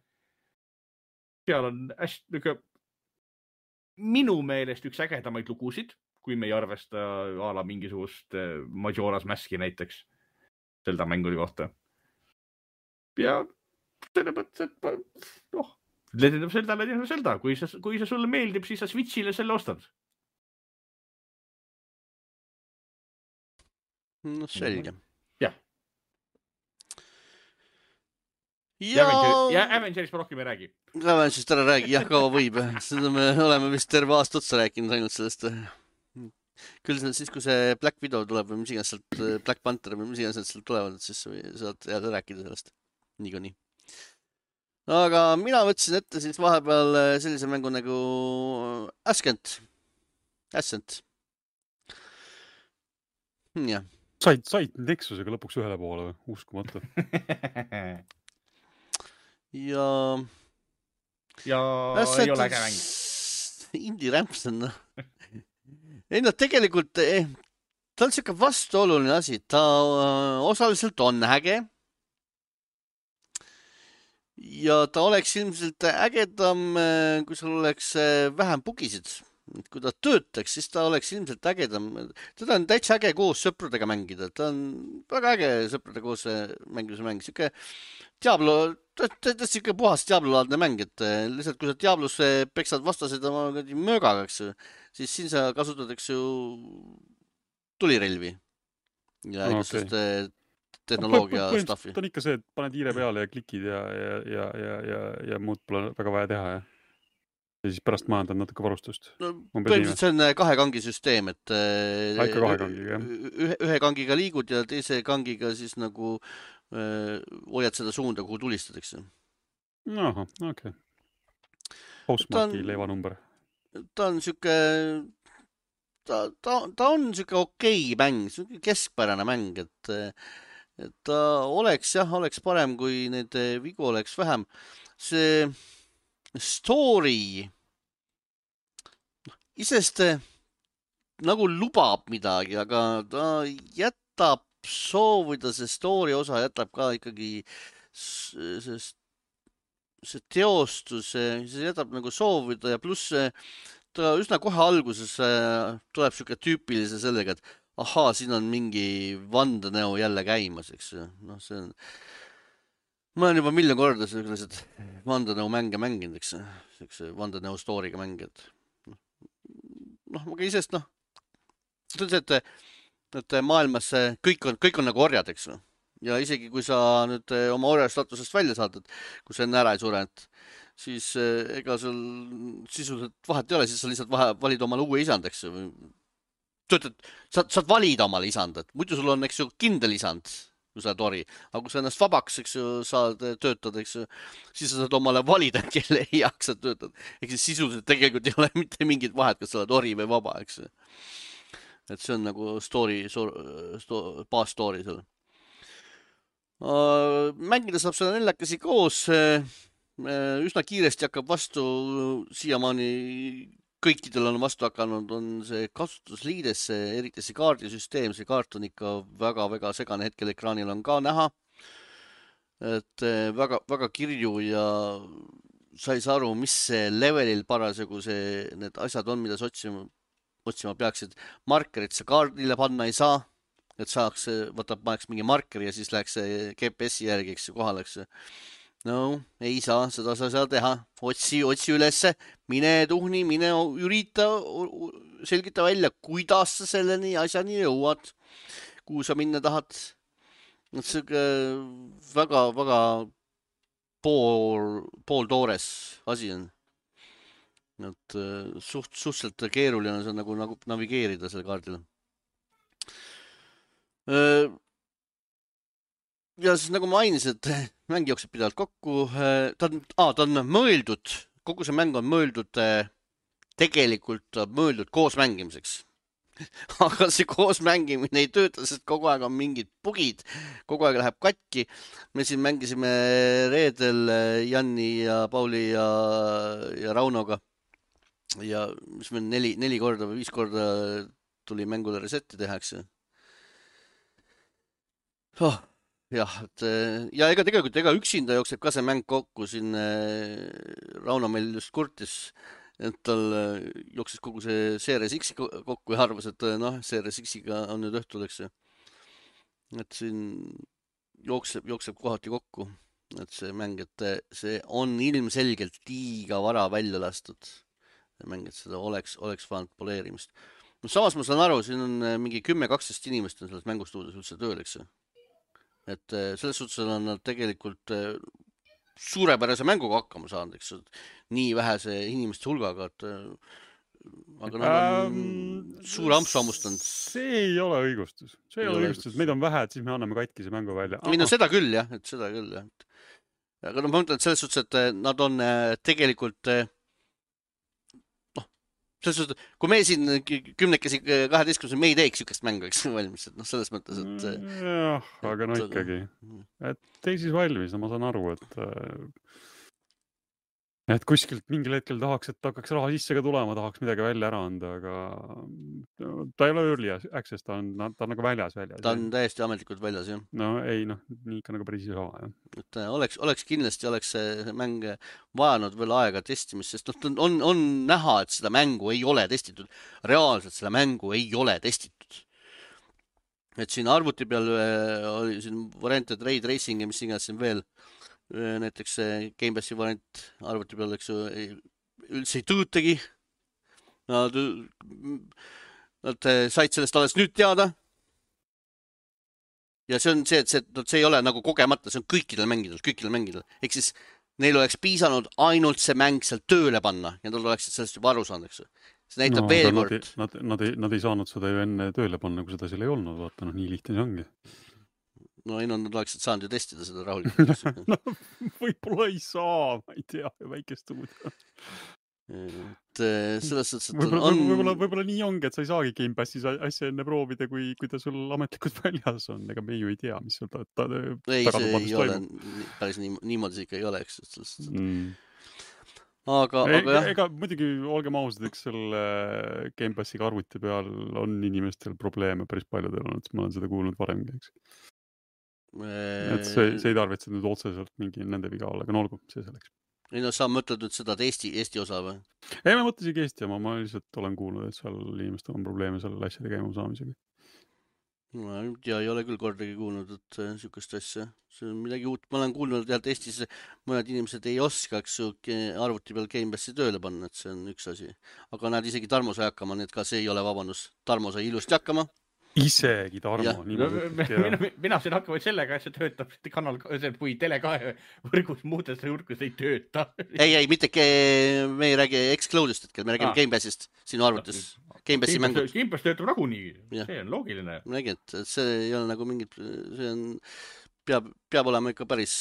C: Seal on hästi minu meelest üks ägedamaid lugusid, kui me ei arvesta ala mingisugust Majora's Maski näiteks Zelda mängude kohta. Ja selle mõttes, et Legend of Zelda. Kui see sulle meeldib, siis sa Switchile selle ostad.
A: No selge.
C: Jah. Ja Avengerist ma rohkem ei räägi.
A: Avengerist ära räägi, jah, kaua võib. Seda me oleme vist terve aasta otsa rääkinud ainult sellest. Küll siis, kui see Black Widow tuleb või mis iganes sealt, Black Panther või mis iganes sealt tulevad, siis saad jälle rääkida sellest. Nii. Aga mina võtsin ette siis vahepeal sellise mängu nagu Ascent. Jah.
B: Said Nexusega lõpuks ühele poole, uskumatu.
A: Ja
C: ja ei ole äge mäng.
A: Indie Ramps on, ei no tegelikult, ta on siuke vastuoluline asi, ta osaliselt on äge. Ja ta oleks ilmselt ägedam, kui sul oleks vähem bugisid. Kui ta töötaks, siis ta oleks ilmselt ägedam. Teda on täitsa äge koos sõpradega mängida. Ta on väga äge sõpradega koos mängimise mäng. Siuke Diablo, ta on siuke puhas Diablo-laadne mäng, et lihtsalt kui sa Diablos peksad vastased oma möögaga, siis siin sa kasutad, eks ju, tulirelvi ja igasugust tehnoloogia staffi.
B: Ta on ikka see, et paned hiire peale ja klikid ja muud pole väga vaja teha, ja siis pärast majandad natuke varustust.
A: No, põhimõtteliselt see on 2 kangi süsteem, et
B: ikka 2 kangiga, jah.
A: Ühe kangiga liigud ja teise kangiga siis nagu hoiad seda suunda, kuhu tulistadakse.
B: Aha, okei. Postmarki leivanumber.
A: Ta on siuke, ta on siuke okei mäng, siuke keskpärane mäng, et ta oleks parem, kui neid vigu oleks vähem. See story isest nagu lubab midagi, aga ta jätab soovida, see story osa jätab ka ikkagi see teostus, see jätab nagu soovida ja pluss ta üsna kohe alguses tuleb siuke tüüpilise sellega, et ahaa, siin on mingi vandenäo jälle käimas, eks. No see on, ma olen juba miljon korda sellised vandenäo mänge mänginud, eks. Selline vandenäo story'ga mängijad. Aga isest, see on see, et maailmas kõik on nagu orjad, eks. Ja isegi kui sa nüüd oma orja statusest välja saad, et kui sa enne ära ei sure, siis ega sul sisuliselt vahet ei ole, siis sa lihtsalt valid omale uue isand, eks. Saad valida omale isand, et muidu sul on, eks ju, kindel isand, kui sa oled ori. Aga kui sa ennast vabaks, eks ju, saad töötada, eks ju, siis sa saad omale valida, kelle heaks sa töötad. Eks siis sisuliselt tegelikult ei ole mitte mingit vahet, kas sa oled ori või vaba, eks ju. Et see on nagu baas story seal. Mängida saab seda 4 koos. Üsna kiiresti hakkab vastu, siiamaani kõikidel on vastu hakanud, on see kasutusliides, eriti see kaardisüsteem, see kaart on ikka väga-väga segane, hetkel ekraanil on ka näha, et väga kirju ja sa ei saa aru, mis see levelil parasjagu need asjad on, mida sa otsima peaksid. Markerit sa kaardile panna ei saa, et saaks, paneks mingi markeri ja siis läheks GPS-i järgi, eks ju, kohale, eks ju. No, ei saa, seda sa saa teha. Otsi ülesse, mine tuhni, mine ürita, selgita välja, kuidas sa selleni asjani jõuad, kuhu sa minna tahad. See väga pooltoores asi on. Et suhteliselt keeruline on see nagu navigeerida selle kaardile. Ja siis nagu mainisin, et mäng jookseb pidevalt kokku. Ta on mõeldud, kogu see mäng on mõeldud, tegelikult mõeldud koos mängimiseks. Aga see koos mängimine ei tööta, sest kogu aeg on mingid bugid, kogu aeg läheb katki. Me siin mängisime reedel Janni ja Pauli ja Raunoga. Ja mis meil 4 korda või 5 korda tuli mängule resetti tehakse. Jah, ja ega üksinda jookseb ka see mäng kokku, siin Rauno meil just kurtis, et tal jooksis kogu see Series X kokku ja arvas, et Series X-iga on nüüd õhtul, eks ju. Et siin jookseb kohati kokku, et see mäng, et see on ilmselgelt liiga vara välja lastud. Mäng, et seda oleks vaanud poleerimist. Samas ma saan aru, siin on mingi 10-12 inimest on selles mängustuudios üldse tööl, eks ju. Et selles suhtes on nad tegelikult suurepärase mänguga hakkama saanud, eks, nii vähese inimeste hulgaga, et aga nad on suure ampsu hammustanud.
B: See ei ole õigustus. Meid on vähe, et siis me anname katkise mängu välja.
A: Seda küll, jah. Aga ma mõtlen, et selles suhtes, et nad on tegelikult selles suhtes, kui me siin 10-12 me ei teeks sükest mängu, eks valmis, et selles mõttes, et
B: jah, aga ikkagi, et teisis valmis, ma saan aru, et Et kuskilt mingil hetkel tahaks, et hakkaks raha sisse ka tulema, tahaks midagi välja ära anda, aga ta ei ole early access, ta on nagu väljas.
A: Ta on täiesti ametlikult väljas, jah.
B: No ei, nii ikka nagu päris ei saa, jah.
A: Et oleks kindlasti see mäng vajanud veel aega testimist, sest on näha, et seda mängu ei ole testitud. Reaalselt seda mängu ei ole testitud. Et siin arvuti peal oli siin variant, et Ray Tracing ja mis iganes siin veel. Näiteks Gamepassi variant arvuti peal, eks ju, üldse ei töötagi. Nad said sellest alles nüüd teada. Ja see on see, et see ei ole nagu kogemata, see on kõikidel mängidel. Ehk siis neil oleks piisanud ainult see mäng seal tööle panna ja nad oleksid sellest juba aru saanud, eks ju. See näitab veel kord.
B: Nad ei saanud seda ju enne tööle panna, kui seda seal ei olnud. Vaata, nii lihtne see ongi.
A: No ei, nad oleksid saanud ju testida seda rahulikult.
B: No, võib-olla ei saa, ma ei tea, väikest stuudio.
A: Selles suhtes, et
B: võib-olla nii ongi, et sa ei saagi Gamepassis asja enne proovida, kui ta sul ametlikult väljas on. Ega me ju ei tea, mis sul
A: ei, see ei ole päris niimoodi see ikka ei ole, eks. Aga jah.
B: Ega muidugi olgem ausad, eks selle Gamepassiga arvuti peal on inimestel probleeme päris paljudel on, et ma olen seda kuulnud varemgi, eks. Et see ei tarvitse nüüd otseselt mingi nende viga olla, aga no olgu, see selleks.
A: Ei no, sa mõtled nüüd seda Eesti osa või?
B: Ei, ma mõtlesin Eesti oma, ma lihtsalt olen kuulnud, et seal inimestel on probleeme selle asjade käima saamisega.
A: Ja ei ole küll kordagi kuulnud, et sükest asja. See on midagi uut. Ma olen kuulnud, et Eestis mõned inimesed ei oskaks arvuti peal Gamepassi tööle panna, et see on üks asi. Aga nad isegi Tarmo sai hakkama, nii et ka see ei ole vabandus. Tarmo sai ilusti hakkama.
B: Isegi Tarmo.
C: Mina sain hakkama sellega, et see töötab kanal, või Tele2 võrgus muudes võrgus ei tööta.
A: Ei, mitte me ei räägi Xcloudist, et me räägime Gamepassist sinu arvutis. Gamepassi mängud.
C: Gamepass töötab nagunii, see on loogiline.
A: Nägi, et see ei ole nagu mingit, see on, peab olema ikka päris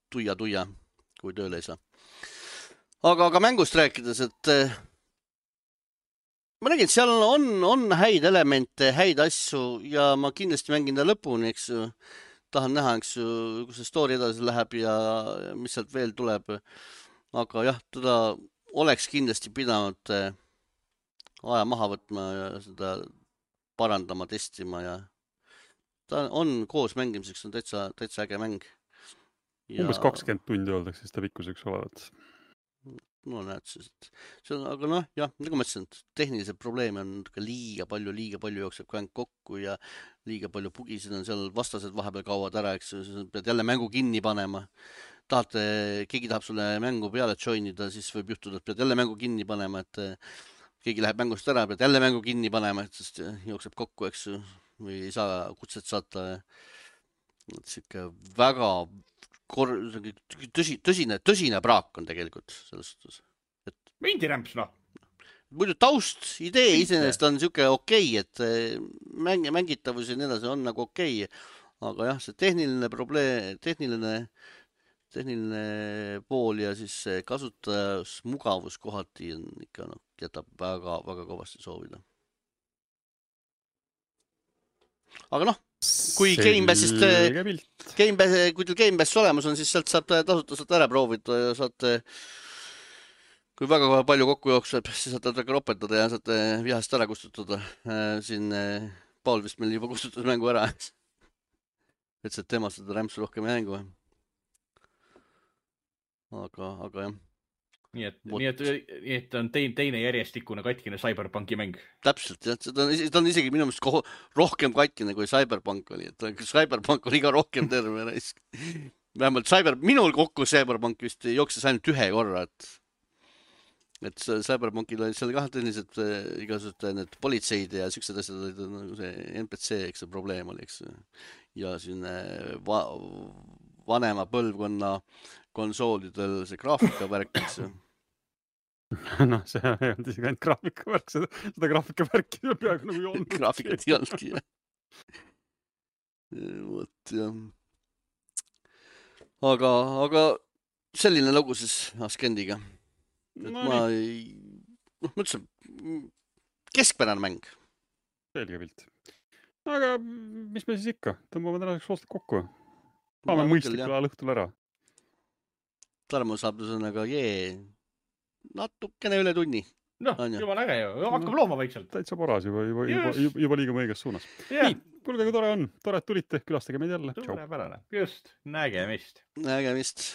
A: tuia, kui tööle ei saa. Aga mängust rääkides, et ma nägin, et seal on häid elemente, häid asju ja ma kindlasti mängin ta lõpuni, eks ju. Tahan näha, eks ju, kui see story edasi läheb ja mis sealt veel tuleb. Aga jah, teda oleks kindlasti pidanud aja maha võtma ja seda parandama, testima ja ta on koos mängimiseks, on täitsa äge mäng.
B: Umbes 20 tundi öeldakse seda pikkuseks olevat.
A: No näed siis, aga noh, jah, nagu ma ütlesin, tehnilised probleeme on liiga palju jookseb mäng kokku ja liiga palju bugisid on seal, vastased vahepeal kaovad ära, eks pead jälle mängu kinni panema. Keegi tahab sulle mängu peale joinida, siis võib juhtuda, et pead jälle mängu kinni panema, et keegi läheb mängust ära, pead jälle mängu kinni panema, et sest jookseb kokku, eks või ei saa kutset saata. Siuke väga tõsine praak on tegelikult selles suhtes.
C: Mindirämps, noh.
A: Muidu taust, idee iseenesest on siuke okei, et mängitavus ja nii edasi on nagu okei. Aga jah, see tehniline probleem, tehniline pool ja siis see kasutajus mugavus kohati on ikka, jätab väga, väga kõvasti soovida. Aga noh, kui Gamepassist, kui teil Gamepass olemas on, siis sealt saab tasuta ära proovida ja saate, kui väga palju kokku jookseb, siis saate väga ropendada ja saate vihast ära kustutada. Siin Paul vist meil juba kustutas mängu ära. Et see temast seda rämpsu rohkem ei mängu. Aga jah.
C: Nii et on teine järjestikune katkine Cyberpunki mäng.
A: Täpselt, jah. Ta on isegi minu meelest rohkem katkine kui Cyberpunk oli. Cyberpunk oli ka rohkem terve raisk. Vähemalt minul kokku Cyberpunk vist jookses ainult ühe korra. Et Cyberpunkil oli seal ka tõelised igasugused need politseid ja siuksed asjad olid nagu see NPC, eks see probleem oli, eks. Ja siin vanema põlvkonna konsoolidel see graafikavärk, eks.
B: Noh, see ei olnud isegi ainult graafikavärk, seda graafikavärki peaaegu nagu ei olnud.
A: Graafikat ei olnudki, jah. Vot, jah. Aga selline lugu siis Ascendiga. Ma mõtlesin, keskpärane mäng.
B: Selge pilt. Aga mis me siis ikka? Tõmbame tänaseks oostud kokku. Paame mõistlikul ajal õhtul ära.
A: Tarmo saab sõnaga natukene üle tunni.
C: Noh, jumala äge ju. Hakkab looma vaikselt.
B: Täitsa paras juba liigume õiges suunas. Nii, kuulge, kui tore on. Tore, et tulite. Külastage meid jälle.
C: Suurepärane. Just. Nägemist.
A: Nägemist.